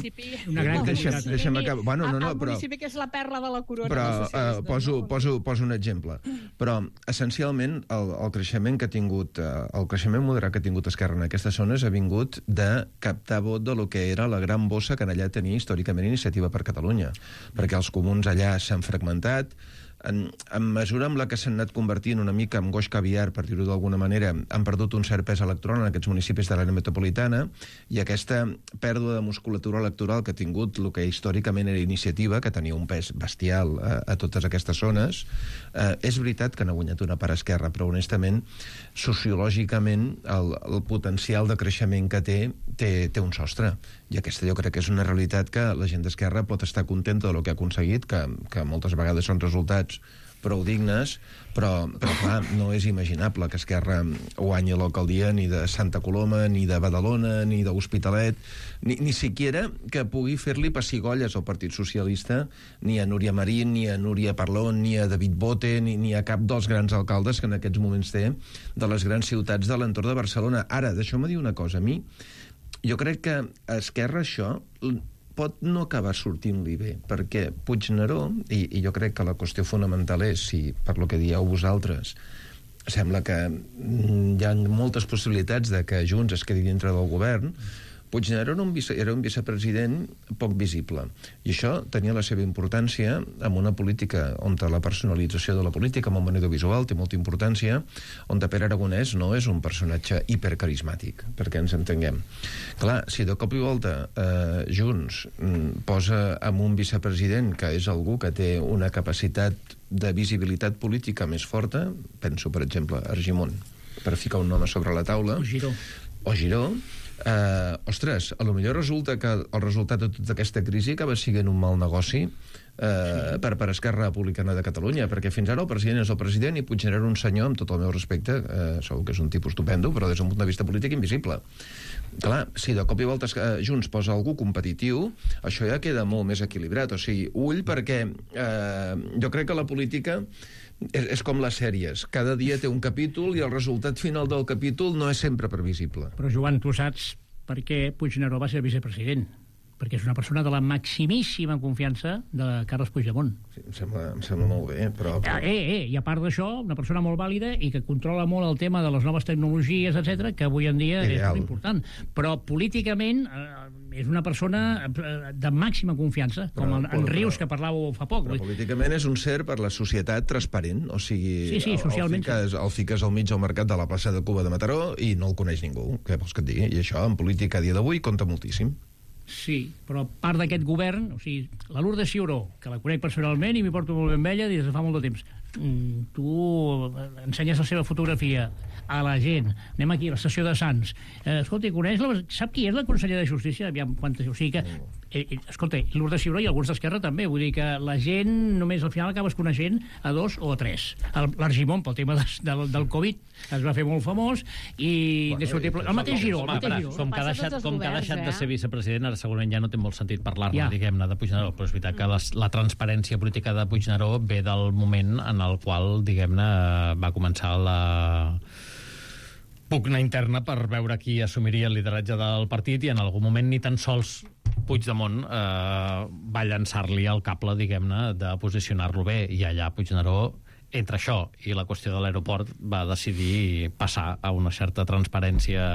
I: Una gran
G: deixa'm, deixa'm acabar. Bueno, no, no,
H: el
G: però,
H: municipi que és la perla de la corona.
G: Però uh, poso, poso, poso un exemple. Però, essencialment, el, el creixement que ha tingut, uh, el creixement moderat que ha tingut Esquerra en aquestes zones ha vingut de captar vot de lo que era la gran bossa que en allà tenia històricament Iniciativa per Catalunya. Perquè els comuns allà s'han fragmentat, en, en mesura amb la que s'han anat convertint una mica en goix caviar, per dir-ho d'alguna manera, han perdut un cert pes electoral en aquests municipis de l'àrea metropolitana, i aquesta pèrdua de musculatura electoral que ha tingut el que històricament era Iniciativa, que tenia un pes bestial a, a totes aquestes zones, eh, és veritat que n'ha guanyat una part Esquerra, però honestament, sociològicament, el, el potencial de creixement que té, té, té un sostre. I aquesta jo crec que és una realitat que la gent d'Esquerra pot estar contenta del que ha aconseguit, que, que moltes vegades són resultats prou dignes, però, però clar, no és imaginable que Esquerra guanyi l'alcaldia ni de Santa Coloma, ni de Badalona, ni de l'Hospitalet, ni, ni siquiera que pugui fer-li pessigolles al Partit Socialista, ni a Núria Marín, ni a Núria Parlon, ni a David Bote, ni, ni a cap dels grans alcaldes que en aquests moments té de les grans ciutats de l'entorn de Barcelona. Ara, deixeu-me dir una cosa, a mi jo crec que a Esquerra això pot no acabar sortint-li bé, perquè Puigneró, i, i jo crec que la qüestió fonamental és, si per lo que dieu vosaltres, sembla que hi ha moltes possibilitats de que Junts es quedi dintre del govern, Puigneró era un, vice, era un vicepresident poc visible, i això tenia la seva importància en una política on la personalització de la política, amb un audiovisual, té molta importància, on Pere Aragonès no és un personatge hipercarismàtic, perquè ens entenguem. Clar, si de cop i volta eh, Junts posa amb un vicepresident que és algú que té una capacitat de visibilitat política més forta, penso, per exemple, Argimon, per ficar un nom sobre la taula,
I: o Giró,
G: o Giró eh, ostres, a lo millor resulta que el resultat de tota aquesta crisi acaba sent un mal negoci eh, sí. per, per Esquerra Republicana de Catalunya, perquè fins ara el president és el president i Puigneró un senyor, amb tot el meu respecte, eh, segur que és un tipus estupendo, però des d'un punt de vista polític invisible. Clar, si de cop i volta Junts posa algú competitiu, això ja queda molt més equilibrat. O sigui, ull, perquè eh, jo crec que la política és, és com les sèries. Cada dia té un capítol i el resultat final del capítol no és sempre previsible.
I: Però, Joan, tu saps per què Puigneró va ser vicepresident? Perquè és una persona de la maximíssima confiança de Carles Puigdemont.
G: Sí, em sembla, em sembla molt bé, però... però...
I: Eh, eh, i a part d'això, una persona molt vàlida i que controla molt el tema de les noves tecnologies, etcètera, que avui en dia Ideal. És molt important. Però políticament eh, és una persona de màxima confiança, com però, en, en Rius, que parlàveu fa poc.
G: Però políticament és un ser per la societat transparent, o sigui...
I: Sí, sí, socialment.
G: El, el, fiques, el fiques al mig del mercat de la plaça de Cuba de Mataró i no el coneix ningú, què vols que et digui? I això, en política a dia d'avui, compta moltíssim.
I: Sí, però part d'aquest govern, o sigui, la Lourdes Ciuró, que la conec personalment i m'hi porto molt bé amb ella des de fa molt de temps, mm, tu ensenyes la seva fotografia a la gent, anem aquí a la estació de Sants, eh, escolta, coneix la, sap qui és la consellera de Justícia? Aviam, quantes, o sigui que, eh, eh, escolta, Lourdes Ciuró i alguns d'Esquerra també, vull dir que la gent només al final acabes coneixent a dos o a tres. L'Argimon, pel tema de, del, del Covid, es va fer molt famós i bueno, i el mateix Giró, el mateix Giró.
A: Com que ha deixat, com que ha deixat de ser vicepresident, ara segurament ja no té molt sentit parlar-ne, ja. diguem-ne, de Puigneró, però és veritat que les, la transparència política de Puigneró ve del moment en el qual, diguem-ne, va començar la pugna interna per veure qui assumiria el lideratge del partit i en algun moment ni tan sols Puigdemont eh, va llançar-li el cable, diguem-ne, de posicionar-lo bé, i allà Puigneró, entre això i la qüestió de l'aeroport, va decidir passar a una certa transparència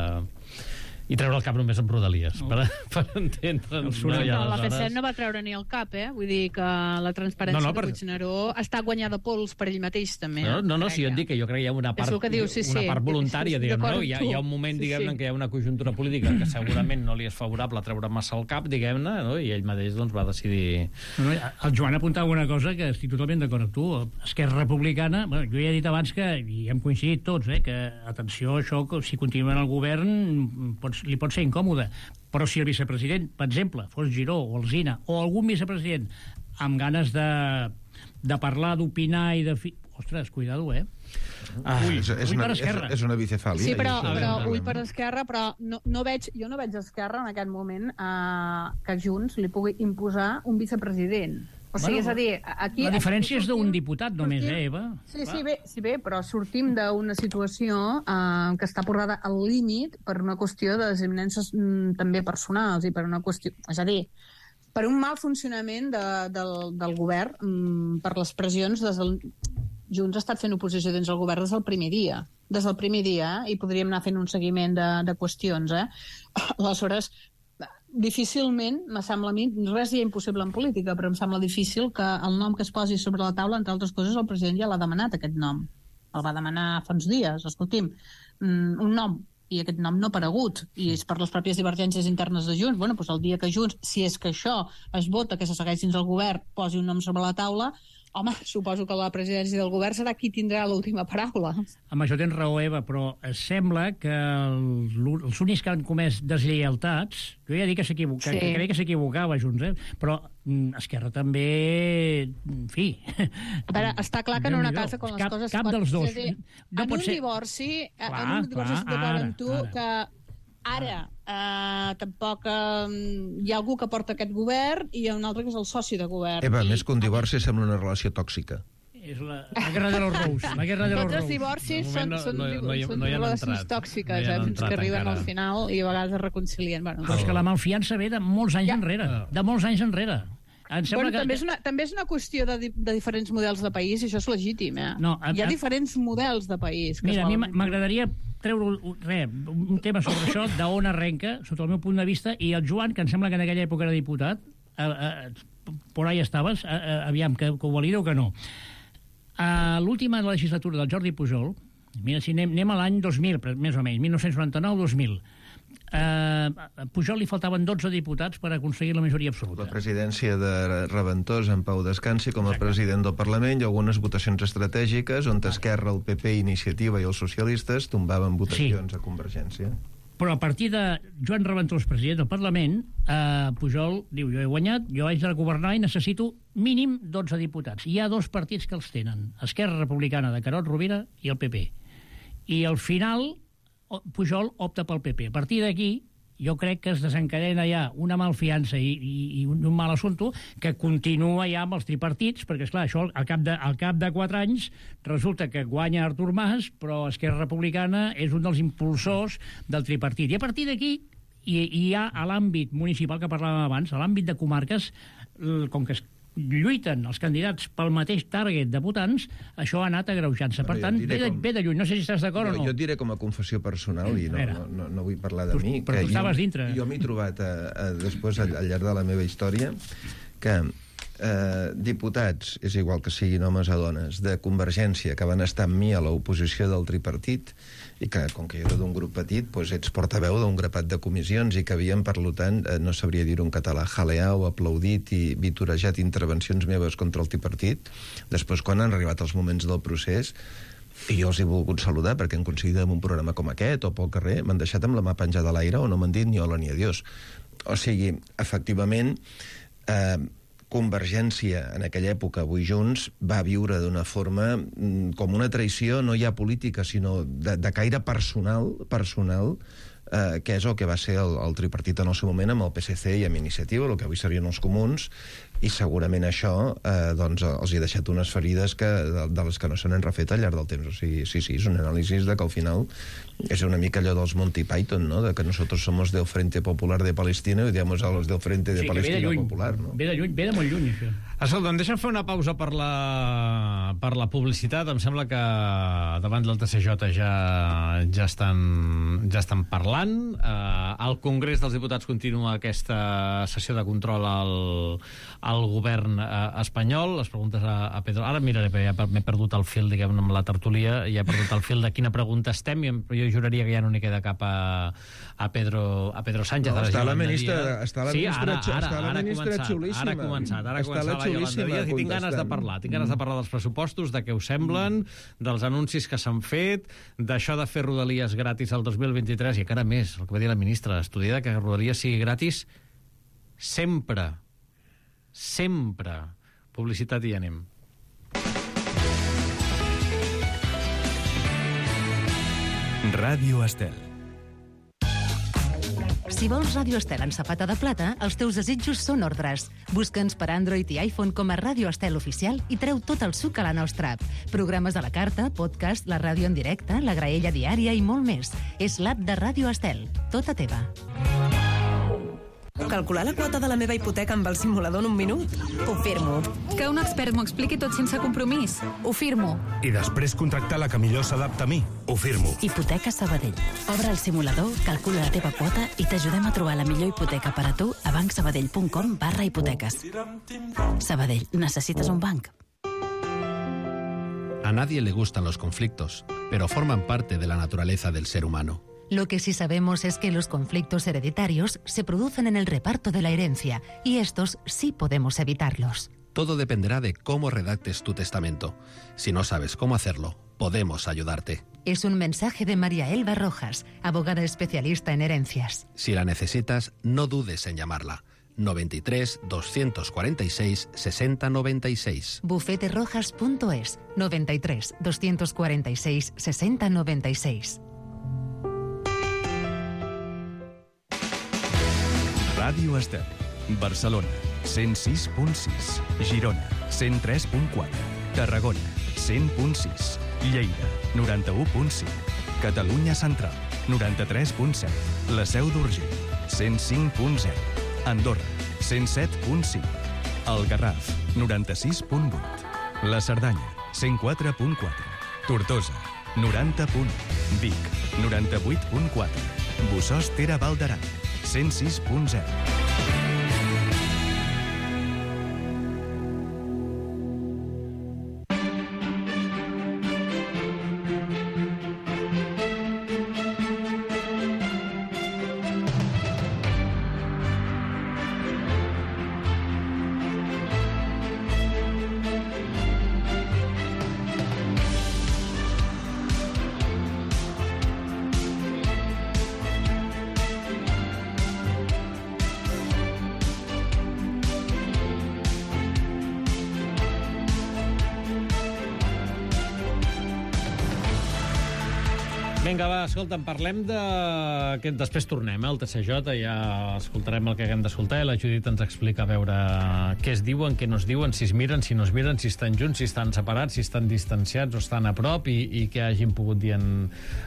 A: i treure el cap només amb rodalies, no. per, per entendre'ns.
H: No, no, la P S E no va treure ni el cap, eh? Vull dir que la transparència no, no, per... de Puigneró està guanyada pols per ell mateix, també.
A: No, no, no si jo et dic que jo crec que hi ha una part,
H: diu, sí,
A: una
H: sí,
A: part voluntària,
H: sí,
A: diguem, no? Hi ha, hi ha un moment,
H: sí,
A: diguem-ne,
H: sí.
A: que hi ha una conjuntura política que segurament no li és favorable treure massa el cap, diguem-ne, no? I ell mateix doncs, va decidir...
I: No, no, el Joan apuntava una cosa que estic totalment d'acord amb tu. Esquerra Republicana, bueno, jo ja he dit abans que, i hem coincidit tots, eh, que, atenció, això, si continuen al govern, pots, li pot ser incòmode. Però si el vicepresident, per exemple, fos Giró o Alsina, o algun vicepresident amb ganes de, de parlar, d'opinar i de... Fi... Ostres, cuidado, eh?
G: Ah, ull, és, és,
I: ull
G: una,
I: per Esquerra.
G: És, és una bicefàlia.
H: Sí, però, però ull per Esquerra, però no, no veig, jo no veig a Esquerra en aquest moment eh, que Junts li pugui imposar un vicepresident. O sigui, bueno, és a dir, aquí...
I: La diferència és d'un diputat només,
H: sortim,
I: eh, Eva?
H: Sí, sí bé, sí, bé, però sortim d'una situació eh, que està portada al límit per una qüestió de desavinences mm, també personals i per una qüestió... És a dir, per un mal funcionament de, del, del govern, mm, per les pressions des del... Junts ha estat fent oposició dins del govern des del primer dia. Des del primer dia, eh? I podríem anar fent un seguiment de, de qüestions, eh? Aleshores... difícilment, me sembla a mi, res hi ha impossible en política, però em sembla difícil que el nom que es posi sobre la taula, entre altres coses, el president ja l'ha demanat, aquest nom. El va demanar fa uns dies, escolti'm, un nom, i aquest nom no ha aparegut, i és per les pròpies divergències internes de Junts. Bueno, doncs el dia que Junts, si és que això es vota, que se segueix dins el govern, posi un nom sobre la taula, home, suposo que la presidència del govern serà qui tindrà l'última paraula.
I: Amb això tens raó, Eva, però es sembla que el, els únics que han comès deslleialtats, jo ja dic que s'equivoca, sí. que crec que s'equivocava Junts, eh? Però Esquerra també, en fi...
H: A veure, està clar que en una casa com les
I: cap,
H: coses...
I: Cap dels dos.
H: Dir,
I: no
H: en, un
I: ser...
H: divorci,
I: clar,
H: en un divorci, estic d'acord amb tu,
I: ara.
H: que ara eh, tampoc eh, hi ha algú que porta aquest govern i hi ha un altre que és el soci de govern.
G: Eva,
H: I...
G: més que un divorci sembla una relació tòxica.
I: És la, la guerra de los Rous. La guerra de los
H: Tots els
I: Rous.
H: divorcis són,
A: no,
H: són,
A: no, no, no,
H: són
A: no
H: relacions
A: entrat.
H: tòxiques,
A: no
H: eh, fins que arriben
A: encara.
H: al final i a vegades es reconcilien. Bueno,
I: Però és que la malfiança ve de molts anys
H: ja.
I: enrere. De molts anys enrere. Em
H: bueno,
I: que...
H: també, és una, també és una qüestió de, de diferents models de país i això és legítim, eh?
I: No, a,
H: Hi ha
I: a...
H: diferents models de país. Que
I: Mira, a mi
H: volen...
I: m'agradaria treure res, un tema sobre això, d'on arrenca, sota el meu punt de vista, i el Joan, que em sembla que en aquella època era diputat, eh, eh, por ahí estaves, eh, eh, aviam, que, que ho valida o que no. A l'última legislatura del Jordi Pujol, mira, si anem, anem a l'any dos mil, més o menys, mil nou-cents noranta-nou dos mil, Uh, a Pujol li faltaven dotze diputats per aconseguir la majoria absoluta.
G: La presidència de Reventós en Pau Descansi com a Exacte. president del Parlament i algunes votacions estratègiques on Esquerra, el P P, Iniciativa i els socialistes tombaven votacions sí. a Convergència.
I: Però a partir de Joan Reventós, president del Parlament, uh, Pujol diu, jo he guanyat, jo haig de governar i necessito mínim dotze diputats. Hi ha dos partits que els tenen, Esquerra Republicana de Carod Rovira i el P P. I al final Pujol opta pel P P. A partir d'aquí, jo crec que es desencadena ja una malfiança i, i, i un, un mal assumpte que continua ja amb els tripartits, perquè, esclar, això al cap, de, al cap de quatre anys resulta que guanya Artur Mas, però Esquerra Republicana és un dels impulsors del tripartit. I a partir d'aquí hi, hi ha a l'àmbit municipal que parlàvem abans, a l'àmbit de comarques, com que es lluiten els candidats pel mateix target de votants, això ha anat agreujant-se. Per tant, ve de, com... ve de lluny. No sé si estàs d'acord no, o no.
G: Jo et diré com a confessió personal, i no, no, no, no vull parlar de
I: tu,
G: mi,
I: però
G: que
I: tu estaves
G: jo,
I: dintre.
G: Jo m'he trobat a, a, després, al, al llarg de la meva història, que eh, diputats, és igual que siguin homes o dones, de Convergència, que van estar amb mi a l'oposició del tripartit, i que, com que jo era d'un grup petit, doncs ets portaveu d'un grapat de comissions i que havien, per tant, eh, no sabria dir-ho en català, jaleat o aplaudit i vitorejat intervencions meves contra el tripartit. Després, quan han arribat els moments del procés, i jo els he volgut saludar perquè han coincidit en un programa com aquest o pel carrer, m'han deixat amb la mà penjada a l'aire o no m'han dit ni hola ni adiós. O sigui, efectivament, eh, Convergència, en aquella època, avui Junts, va viure d'una forma com una traïció, no ja política, sinó de, de caire personal, personal eh, que és el que va ser el, el tripartit en el seu moment amb el P S C i amb Iniciativa, el que avui serien els comuns, i segurament això eh, doncs, els hi ha deixat unes ferides que, de, de les que no se n'han refet al llarg del temps. O sigui, sí, sí, és un anàlisi de que al final és una mica allò dels Monty Python, no? De que nosotros somos del Frente Popular de Palestina i digamos a los del Frente de sí, Palestina de Popular, no?
I: Ve de lluny, ve de molt lluny, això.
A: Escolta, em deixen fer una pausa per la, per la publicitat. Em sembla que davant del T C J ja, ja, estan, ja estan parlant. Uh, al Congrés dels Diputats continua aquesta sessió de control al, al govern uh, espanyol. Les preguntes a, a Pedro... Ara miraré, perquè ja m'he perdut el fil, diguem, amb la tertúlia, ja he perdut el fil de quina pregunta estem, i jo juraria que ja no n'hi queda cap a, a, Pedro, a Pedro Sánchez.
G: No, està la ministra, està la
A: sí,
G: ministra,
A: ara, ara,
G: està la
A: ara
G: ministra
A: començat,
G: xulíssima.
A: Ara ha començat, ara ha començat la Yolanda Díaz, i tinc ganes de parlar. Tinc ganes de parlar dels pressupostos, de què us semblen, dels anuncis que s'han fet, d'això de fer Rodalies gratis el dos mil vint-i-tres, i encara més, el que va dir la ministra, estudiar que Rodalies sigui gratis sempre. Sempre. Publicitat i ja anem.
F: Ràdio Estel.
E: Si vols Ràdio Estel en safata de plata, els teus desitjos són ordres. Busca'ns per Android i iPhone com a Ràdio Estel Oficial i treu tot el suc a la nostra app. Programes a la carta, podcast, la ràdio en directe, la graella diària i molt més. És l'app de Ràdio Estel, tota teva.
K: Calcular la quota de la meva hipoteca amb el simulador en un minut? Ho firmo.
L: Que un expert m'ho expliqui tot sense compromís? Ho firmo.
M: I després contractar la que millor s'adapta a mi? Ho firmo.
N: Hipoteca Sabadell. Obre el simulador, calcula la teva quota i t'ajudem a trobar la millor hipoteca per a tu a bancsabadell.com barra hipoteques. Sabadell, necessites un banc?
O: A nadie le gustan los conflictos, pero forman parte de la naturaleza del ser humano.
E: Lo que sí sabemos es que los conflictos hereditarios se producen en el reparto de la herencia, y estos sí podemos evitarlos.
O: Todo dependerá de cómo redactes tu testamento. Si no sabes cómo hacerlo, podemos ayudarte.
E: Es un mensaje de María Elba Rojas, abogada especialista en herencias.
O: Si la necesitas, no dudes en llamarla. noventa y tres, doscientos cuarenta y seis, sesenta noventa y seis.
E: bufete rojas punto es, noventa y tres, doscientos cuarenta y seis, sesenta noventa y seis.
F: Ràdio Estel. Barcelona, cent sis punt sis. Girona, cent tres punt quatre. Tarragona, cent punt sis. Lleida, noranta-u punt cinc. Catalunya Central, noranta-tres punt set. La Seu d'Urgell, cent cinc punt zero. Andorra, cent set punt cinc. El Garraf, noranta-sis punt vuit. La Cerdanya, cent quatre punt quatre. Tortosa, noranta punt u. Vic, noranta-vuit punt quatre. Bussos Tera Val d'Aran, cent sis punt zero.
A: Vinga, va, escolta'm, parlem de... que després tornem, eh, al T C J, ja escoltarem el que haguem d'escoltar, i la Judit ens explica a veure què es diuen, què no es diuen, si es miren, si no es miren, si estan junts, si estan separats, si estan distanciats o estan a prop, i, i què hagin pogut dir en,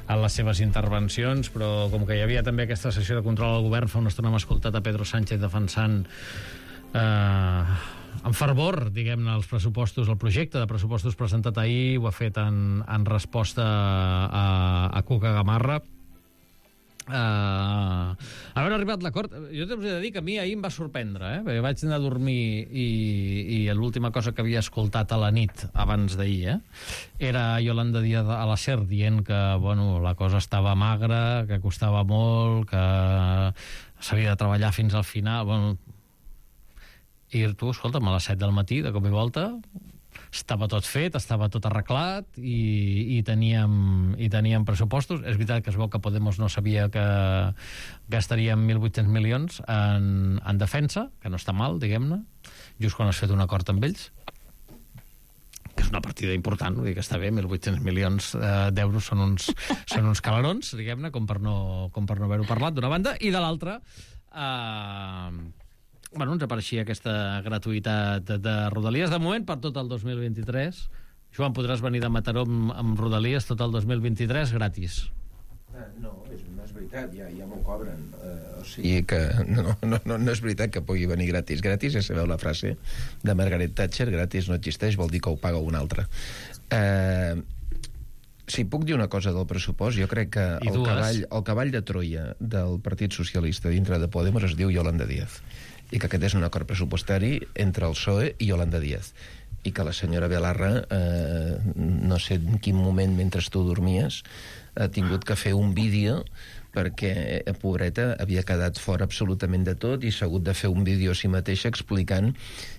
A: en les seves intervencions, però com que hi havia també aquesta sessió de control al govern, fa una estona hem escoltat a Pedro Sánchez defensant eh, en fervor, diguem-ne, els pressupostos, el projecte de pressupostos presentat ahir, ho ha fet en, en resposta a, a Cuca Gamarra. Uh, haver arribat l'acord, jo t'he de dir que a mi ahir em va sorprendre, eh? Perquè vaig anar a dormir i, i l'última cosa que havia escoltat a la nit abans d'ahir, eh? era Yolanda Díaz a la SER dient que, bueno, la cosa estava magra, que costava molt, que s'havia de treballar fins al final. Bueno, i tu, escolta'm, a les set del matí, de cop i volta, estava tot fet, estava tot arreglat i, i, teníem, i teníem pressupostos. És veritat que es veu que Podemos no sabia que gastaríem mil vuit-cents milions en, en defensa, que no està mal, diguem-ne, just quan has fet un acord amb ells, que és una partida important, vull dir que està bé, mil vuit-cents milions eh, d'euros són uns, són uns calarons, diguem-ne, com per no, com per no haver-ho parlat, d'una banda, i de l'altra... Eh, bueno, ens apareixia aquesta gratuïtat de, de Rodalies, de moment per tot el dos mil vint-i-tres. Joan, podràs venir de Mataró amb, amb Rodalies tot el dos mil vint-i-tres gratis.
G: Uh, no, és, no és veritat, ja, ja m'ho cobren. Uh, o sigui que no, no, no, no és veritat que pugui venir gratis. Gratis, ja sabeu la frase de Margaret Thatcher, gratis no existeix, vol dir que ho paga un altre. Uh, si puc dir una cosa del pressupost, jo crec que el cavall, el cavall de Troia del Partit Socialista dintre de Podemos es diu Yolanda Díaz, i que aquest és un acord pressupostari entre el P S O E i Yolanda Díaz, i que la senyora Belarra, eh, no sé en quin moment mentre tu dormies, ha tingut que fer un vídeo perquè, eh, pobreta, havia quedat fora absolutament de tot i s'ha hagut de fer un vídeo a si mateixa explicant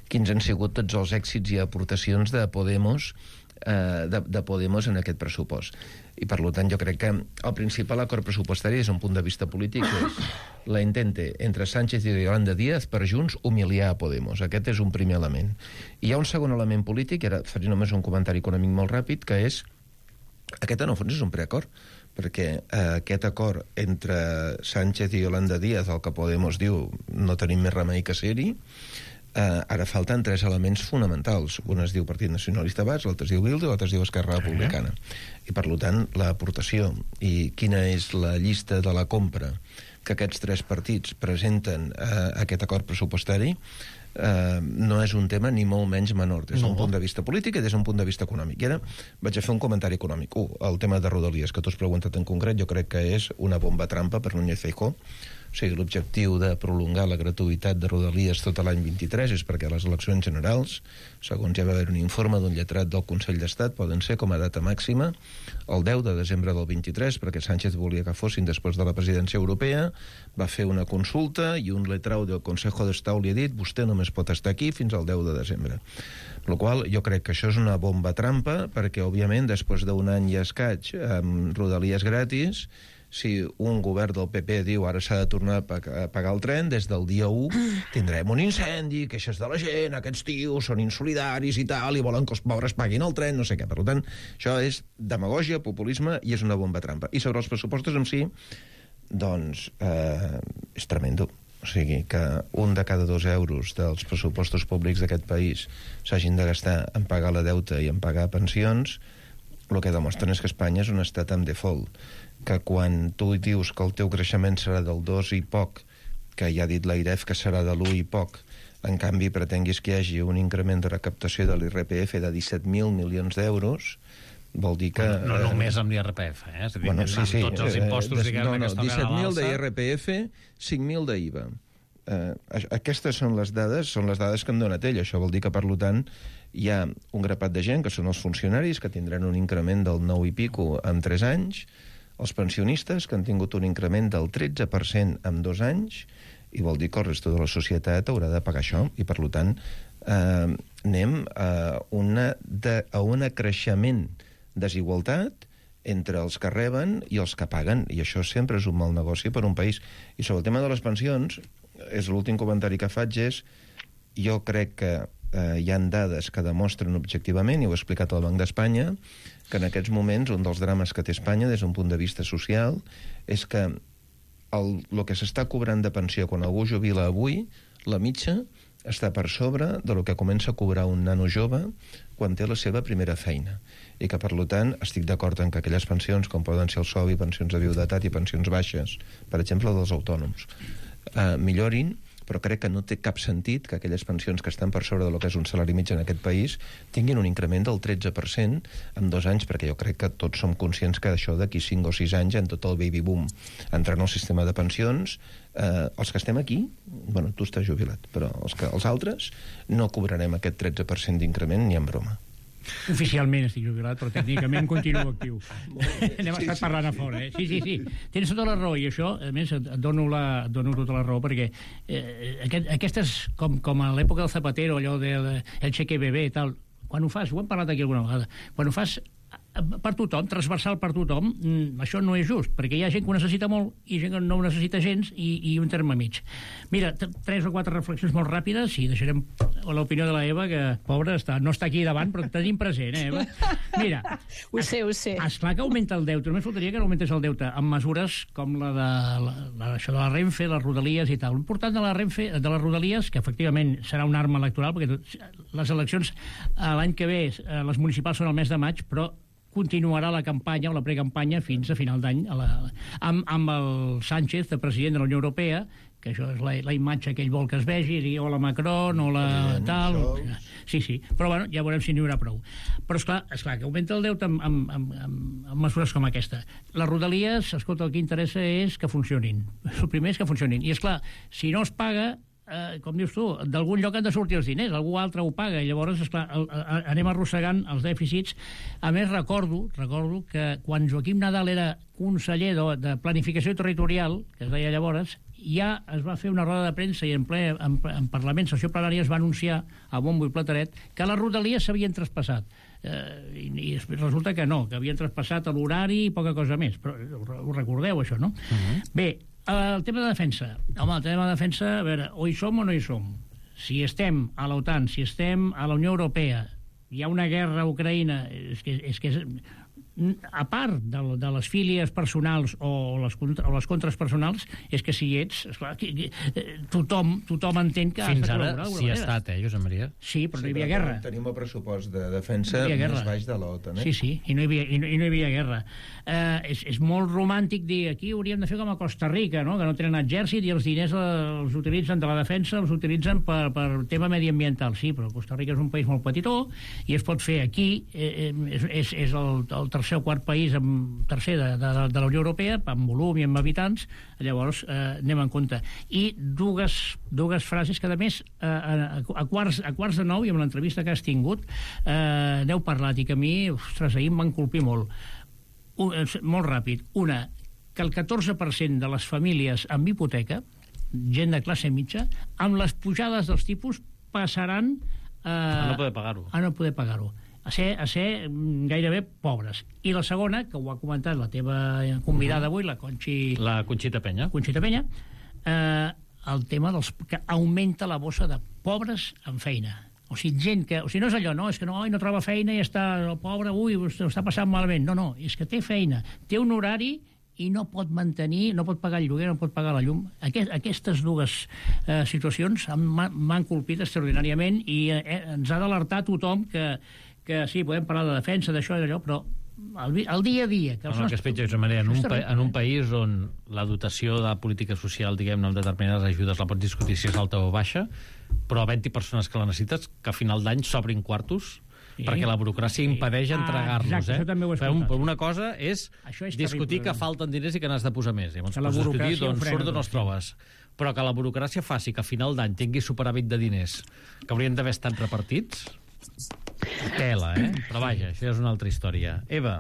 G: quins han sigut tots els èxits i aportacions de Podemos eh, de, de Podemos en aquest pressupost. I per tant jo crec que el principal acord pressupostari és un punt de vista polític, és la intente entre Sánchez i Yolanda Díaz per junts humiliar a Podemos. Aquest és un primer element. I hi ha un segon element polític, i ara faré només un comentari econòmic molt ràpid, que és aquest en el fons és un preacord, perquè eh, aquest acord entre Sánchez i Yolanda Díaz, el que Podemos diu no tenim més remei que ser-hi, Uh, ara falten tres elements fonamentals. Un es diu Partit Nacionalista Basc, l'altre es diu Bildu i l'altre es diu Esquerra Republicana. I per tant, l'aportació i quina és la llista de la compra que aquests tres partits presenten a uh, aquest acord pressupostari uh, no és un tema ni molt menys menor des d'un no. punt de vista polític i des d'un punt de vista econòmic. I ara vaig a fer un comentari econòmic. Un, el tema de Rodalies, que tu has preguntat en concret, jo crec que és una bomba trampa per Núñez Feijóo. O sigui, l'objectiu de prolongar la gratuïtat de Rodalies tot l'any vint-i-tres és perquè les eleccions generals, segons ja va haver un informe d'un lletrat del Consell d'Estat, poden ser com a data màxima el deu de desembre del vint-i-tres, perquè Sánchez volia que fossin després de la presidència europea, va fer una consulta i un letrau del Consejo d'Estat li ha dit vostè només pot estar aquí fins al deu de desembre. Per la qual jo crec que això és una bomba trampa, perquè, òbviament, després d'un any i escaig amb Rodalies gratis, si un govern del P P diu ara s'ha de tornar a pagar el tren, des del dia u tindrem un incendi, queixes de la gent, aquests tios són insolidaris i tal, i volen que els pobres paguin el tren, no sé què. Per tant, això és demagògia, populisme i és una bomba trampa. I sobre els pressupostos en si, doncs, eh, és tremendo. O sigui, que un de cada dos euros dels pressupostos públics d'aquest país s'hagin de gastar en pagar la deuta i en pagar pensions, el que demostren és que Espanya és un estat amb default, que quan tu dius que el teu creixement serà del dos i poc, que ja ha dit l'Airef que serà de l'u i poc, en canvi pretenguis que hi hagi un increment de recaptació de l'I R P F de disset mil milions d'euros, Vol dir que...
A: No, no només amb l'I R P F, eh? És a dir,
G: bueno, sí, sí.
A: Tots els impostos, diguem,
G: no, no,
A: que es toquen a
G: disset mil
A: l'alça.
G: d'I R P F, cinc mil d'I V A. Uh, aquestes són les dades, són les dades que em donat ell. Això vol dir que, per tant, hi ha un grapat de gent, que són els funcionaris, que tindran un increment del nou i pico en tres anys, els pensionistes, que han tingut un increment del tretze per cent en dos anys, i vol dir que el resto de la societat haurà de pagar això, i, per tant, eh, anem a una, de, a un creixement desigualtat entre els que reben i els que paguen, i això sempre és un mal negoci per un país. I sobre el tema de les pensions, és l'últim comentari que faig, és jo crec que eh, hi han dades que demostren objectivament, i ho ha explicat el Banc d'Espanya, que en aquests moments un dels drames que té Espanya des d'un punt de vista social és que el, el que s'està cobrant de pensió quan algú jubila avui, la mitja està per sobre de lo que comença a cobrar un nano jove quan té la seva primera feina. I que, per tant, estic d'acord en que aquelles pensions, com poden ser el S O B I, pensions de viudetat i pensions baixes, per exemple, dels autònoms, eh, millorin, però crec que no té cap sentit que aquelles pensions que estan per sobre del que és un salari mitjà en aquest país tinguin un increment del tretze per cent en dos anys, perquè jo crec que tots som conscients que això d'aquí cinc o sis anys, en tot el baby boom, entrant al sistema de pensions, eh, els que estem aquí, bueno, tu estàs jubilat, però els, que, els altres no cobrarem aquest tretze per cent d'increment ni en broma.
I: Oficialment estic jubilat, però tècnicament continuo actiu. N'hem sí, estat sí, parlant sí. a fora, eh? Sí, sí, sí. Tens tota la raó, i això, a més, et dono, la, et dono tota la raó, perquè eh, aquest, aquestes, com, com a l'època del Zapatero, allò del el cheque bebé i tal, quan ho fas, ho hem parlat aquí alguna vegada, quan ho fas per tothom, transversal per tothom, això no és just, perquè hi ha gent que ho necessita molt i gent que no ho necessita gens, i, i un terme mig. Mira, tres o quatre reflexions molt ràpides, i deixarem l'opinió de la Eva, que, pobra, està, no està aquí davant, però tenim present, eh, Eva? Mira,
H: ho sé, ho sé.
I: Esclar que augmenta el deute, només faltaria que no augmentés el deute, amb mesures com la de, la, la, això de la Renfe, les Rodalies i tal. L'important de la Renfe, de les Rodalies, que efectivament serà una arma electoral, perquè tot, les eleccions l'any que ve, les municipals són el mes de maig, però continuarà la campanya o la precampanya fins a final d'any amb, amb el Sánchez, de president de la Unió Europea, que això és la, la imatge que ell vol que es vegi, dir hola Macron, hola tal... Sí, sí, però bueno, ja veurem si n'hi haurà prou. Però esclar, esclar que augmenta el deute amb, amb, amb, amb, amb mesures com aquesta. Les Rodalies, escolta, el que interessa és que funcionin. El primer és que funcionin. I esclar, si no es paga, Eh, com dius tu, d'algun lloc han de sortir els diners, algú altre ho paga, i llavors, esclar, el, el, anem arrossegant els dèficits. A més, recordo, recordo que quan Joaquim Nadal era conseller de, de Planificació Territorial, que es deia llavors, ja es va fer una roda de premsa i en ple en, en Parlament, sessió plenària, es va anunciar a bombo i plateret que les Rodalies s'havien traspassat. Eh, i, i resulta que no, que havien traspassat l'horari i poca cosa més, però ho recordeu, això, no? Uh-huh. Bé, el tema de defensa. Home, el tema de defensa, a veure, o hi som o no hi som. Si estem a l'OTAN, si estem a la Unió Europea, hi ha una guerra a Ucraïna, és que és... Que és a part de, de les fílies personals o les, o les contres personals, és que si hi ets, esclar, que, que, tothom, tothom entén que...
A: Fins ara sí ha estat, eh, Josep Maria?
I: Sí, però
G: sí,
I: no hi havia
G: però
I: guerra.
G: Tenim el pressupost de defensa no més baix de l'OTAN, eh?
I: Sí, sí, i no hi havia, i no, i no hi havia guerra. Eh, és, és molt romàntic dir aquí hauríem de fer com a Costa Rica, no? Que no tenen exèrcit i els diners els utilitzen de la defensa, els utilitzen per, per tema mediambiental. Sí, però Costa Rica és un país molt petitó i es pot fer aquí, eh, és, és, és el, el tercer o quart país, amb, tercer de, de, de la Unió Europea, amb volum i amb habitants, llavors eh, anem en compte. I dues, dues frases que, a més, eh, a, a, quarts, a quarts de nou, i amb l'entrevista que has tingut, eh, n'heu parlat, i que a mi, ostres, ahir em van colpir molt. Un, molt ràpid. Una, que el catorze per cent de les famílies amb hipoteca, gent de classe mitja, amb les pujades dels tipus, passaran eh,
A: a no poder pagar-ho.
I: A no poder pagar-ho. A ser, a ser gairebé pobres. I la segona, que ho ha comentat la teva convidada avui, la Conxi...
A: La Conxita Penya.
I: Conxita Penya, eh, el tema dels... que augmenta la bossa de pobres amb feina. O sigui, gent que... O sigui, no és allò, no, és que no, no troba feina i està el pobre, ui, ho està passant malament. No, no, és que té feina, té un horari i no pot mantenir, no pot pagar el lloguer, no pot pagar la llum. Aquest, aquestes dues eh, situacions m'han colpit extraordinàriament i eh, ens ha d'alertar tothom que que sí, podem parlar de defensa, d'això i d'allò, però el, el dia a dia... Que
A: no, no, que es pitja, Josep Maria, en un, pa, en un país on la dotació de política social, diguem-ne, amb determinades ajudes la pots discutir si és alta o baixa, però havent-hi persones que la necessites, que a final d'any s'obrin quartos sí. perquè la burocràcia impedeix entregar-los. Ah,
I: exacte,
A: eh?
I: això també ho
A: un, una cosa és, és discutir terrible, que falten diners i que n'has de posar més. Llavors, que la discutir d'on surt d'on els trobes. Però que la burocràcia faci que a final d'any tingui superàvit de diners que haurien d'haver estat repartits, tela, eh? Però vaja, això és una altra història. Eva.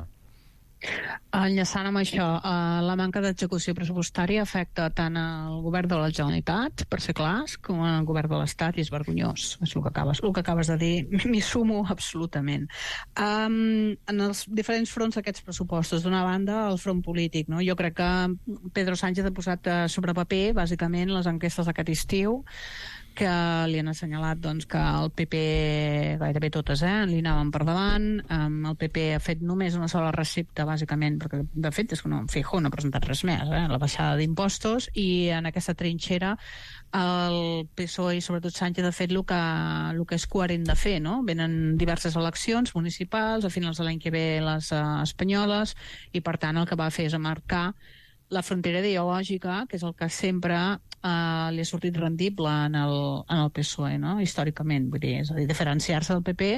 H: Enllaçant amb això, eh, la manca d'execució pressupostària afecta tant al govern de la Generalitat, per ser clars, com al govern de l'Estat, i és vergonyós. És el que acabes, el que acabes de dir. M'hi sumo absolutament. Um, en els diferents fronts d'aquests pressupostos, d'una banda, el front polític, no? Jo crec que Pedro Sánchez ha posat sobre paper, bàsicament, les enquestes d'aquest estiu, que li han assenyalat doncs, que el P P, gairebé totes, eh, li anaven per davant. Um, el P P ha fet només una sola recepta, bàsicament, perquè de fet és que no, Feijóo no ha presentat res més, eh, la baixada d'impostos, i en aquesta trinxera el P S O E i sobretot Sánchez ha fet el que, el que és coherent de fer, no? Venen diverses eleccions municipals, a finals de l'any que ve les uh, espanyoles, i per tant el que va fer és marcar la frontera ideològica, que és el que sempre eh, li ha sortit rendible en el, en el P S O E, no? Històricament, vull dir, és a dir, diferenciar-se del P P,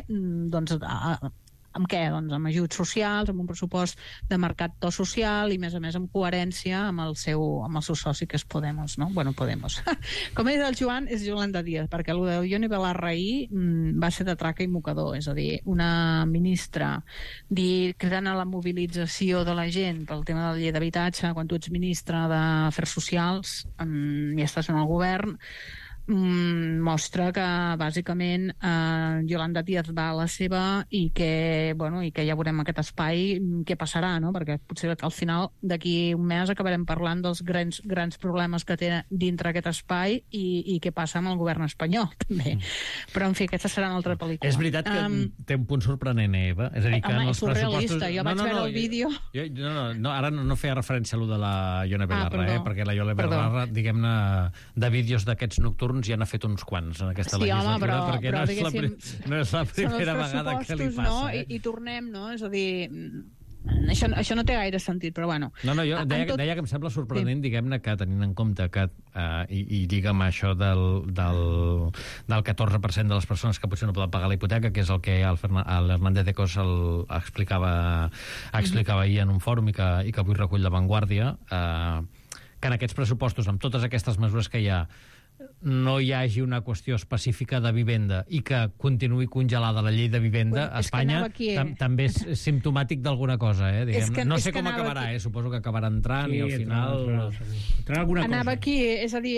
H: doncs, a, a, amb què? Doncs amb ajuts socials, amb un pressupost de marcat to social i, a més a més, amb coherència amb el seu, amb el seu soci, que és Podemos, no? Bueno, Podemos. Com ha dit el Joan, és Yolanda Díaz, perquè el de Ione Belarra ahir va ser de traca i mocador, és a dir, una ministra dir, cridant a la mobilització de la gent pel tema de la llei d'habitatge, quan tu ets ministra d'Afers Socials i estàs en el govern, mostra que bàsicament eh, Yolanda Díaz va a la seva i que, bueno, i que ja veurem aquest espai què passarà, no? Perquè potser al final d'aquí un mes acabarem parlant dels grans, grans problemes que té dintre aquest espai i, i què passa amb el govern espanyol també. Però en fi, aquesta serà una altra pel·lícula.
A: És veritat que um, té un punt sorprenent, Eva. És a dir, que
H: home,
A: en els
H: és surrealista,
A: pressupostos...
H: jo vaig no, no, veure no, el vídeo
A: jo, no, no, no, ara no, no feia referència a lo de la Ione Belarra, ah, eh? Perquè la Ione Belarra, diguem-ne, de vídeos d'aquests nocturns ja n'ha fet uns quants en aquesta
H: sí,
A: legislatura,
H: home, però,
A: perquè
H: però,
A: no, és la, no és la primera vegada que li passa.
H: No?
A: Eh?
H: I, I tornem, no? És a dir, això, això no té gaire sentit, però bueno.
A: No, no, jo deia, tot... deia que em sembla sorprenent, sí. diguem-ne, que tenint en compte que, uh, i, i lliga amb això del, del, del catorze per cent de les persones que potser no poden pagar la hipoteca, que és el que el, el Hernández de Cos el, explicava, explicava ahir en un fòrum i que, i que avui recull La Vanguardia, uh, que en aquests pressupostos, amb totes aquestes mesures que hi ha, no hi hagi una qüestió específica de vivenda i que continuï congelada la llei de vivenda a Espanya, tam també és simptomàtic d'alguna cosa, eh? Diguem. Que, no sé com acabarà, aquí. eh? Suposo que acabarà entrant sí, i al final...
H: Entrarà alguna cosa. Anava aquí, és a dir,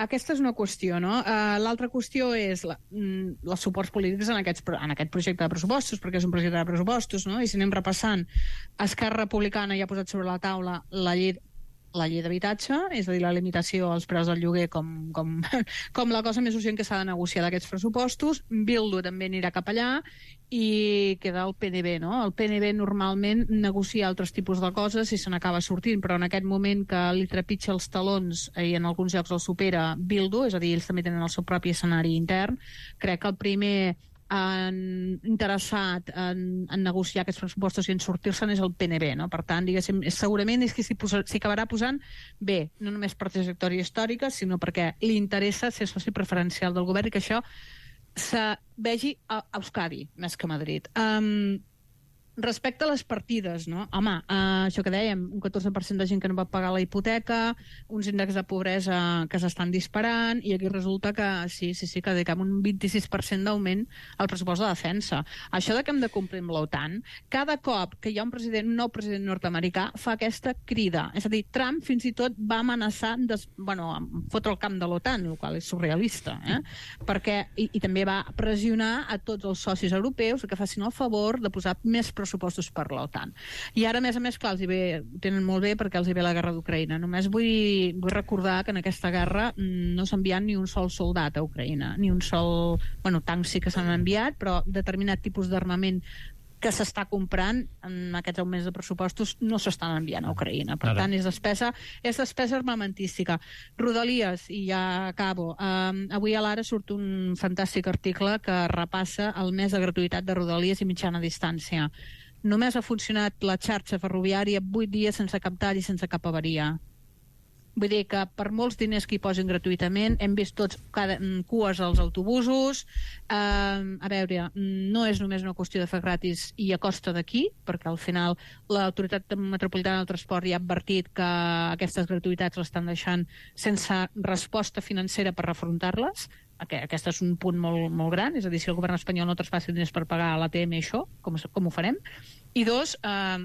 H: aquesta és una qüestió, no? Uh, L'altra qüestió és la, els suports polítics en, aquests, en aquest projecte de pressupostos, perquè és un projecte de pressupostos, no? I si anem repassant, Esquerra Republicana ja ha posat sobre la taula la llei la llei d'habitatge, és a dir, la limitació als preus del lloguer com, com, com la cosa més urgent que s'ha de negociar d'aquests pressupostos. Bildu també anirà cap allà i queda el P N B, no? El P N B normalment negocia altres tipus de coses i se n'acaba sortint, però en aquest moment que li trepitja els talons i en alguns llocs el supera Bildu, és a dir, ells també tenen el seu propi escenari intern, crec que el primer en, interessat en, en negociar aquests pressupostos i en sortir-se'n és el P N B, no? Per tant, diguéssim, segurament és que s'hi acabarà posant bé, no només per trajectòria històrica, sinó perquè li interessa ser soci preferencial del govern i que això se vegi a Euskadi, més que a Madrid. Um, respecte a les partides, no? Home, uh, això que dèiem, un catorze per cent de gent que no va pagar la hipoteca, uns índexs de pobresa que s'estan disparant, i aquí resulta que sí, sí, sí, que dediquem un vint-i-sis per cent d'augment al pressupost de defensa. Això de que hem de complir amb l'OTAN, cada cop que hi ha un president, un nou president nord-americà, fa aquesta crida. És a dir, Trump fins i tot va amenaçar des, bueno, fotre el camp de l'OTAN, el qual és surrealista, eh? Perquè, i, i també va pressionar a tots els socis europeus que facin el favor de posar més pressupostos per l'OTAN. I ara, a més a més, clar, els hi ve, ho tenen molt bé perquè els hi ve la guerra d'Ucraïna. Només vull, vull recordar que en aquesta guerra no s'ha enviat ni un sol soldat a Ucraïna, ni un sol... Bueno, tancs sí que s'han enviat, però determinat tipus d'armament que s'està comprant en aquests augments de pressupostos no s'estan enviant a Ucraïna. Per tant, és despesa, és despesa armamentística. Rodalies, i ja acabo, um, avui a l'Ara surt un fantàstic article que repassa el mes de gratuïtat de Rodalies i mitjana distància. Només ha funcionat la xarxa ferroviària vuit dies sense cap tall i sense cap avaria. Vull dir que per molts diners que hi posin gratuïtament, hem vist tots cada, cues als autobusos. Eh, a veure, no és només una qüestió de fer gratis i a costa d'aquí, perquè al final l'Autoritat Metropolitana del Transport ja ha advertit que aquestes gratuïtats l'estan deixant sense resposta financera per refrontar-les. Aquest és un punt molt, molt gran, és a dir, si el govern espanyol no traspassa diners per pagar a l'A T M això, com, com ho farem? I dos, eh,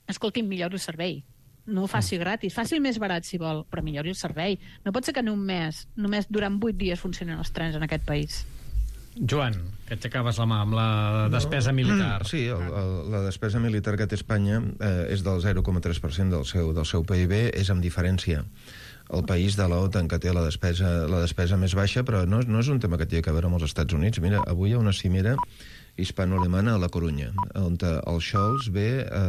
H: escolti'm, millori el servei. No ho faci gratis, faci més barat si vol, però millori el servei. No pot ser que en un mes, només durant vuit dies funcionen els trens en aquest país.
A: Joan, que t'acabes la mà amb la despesa no. militar.
G: Sí, el, el, la despesa militar que té Espanya eh, és del zero coma tres per cent del seu, del seu P I B, és amb diferència el país de l'OTAN que té la despesa, la despesa més baixa, però no, no és un tema que té a veure amb els Estats Units. Mira, avui hi ha una cimera hispano-alemana a la Corunya, on el Scholz ve... Eh,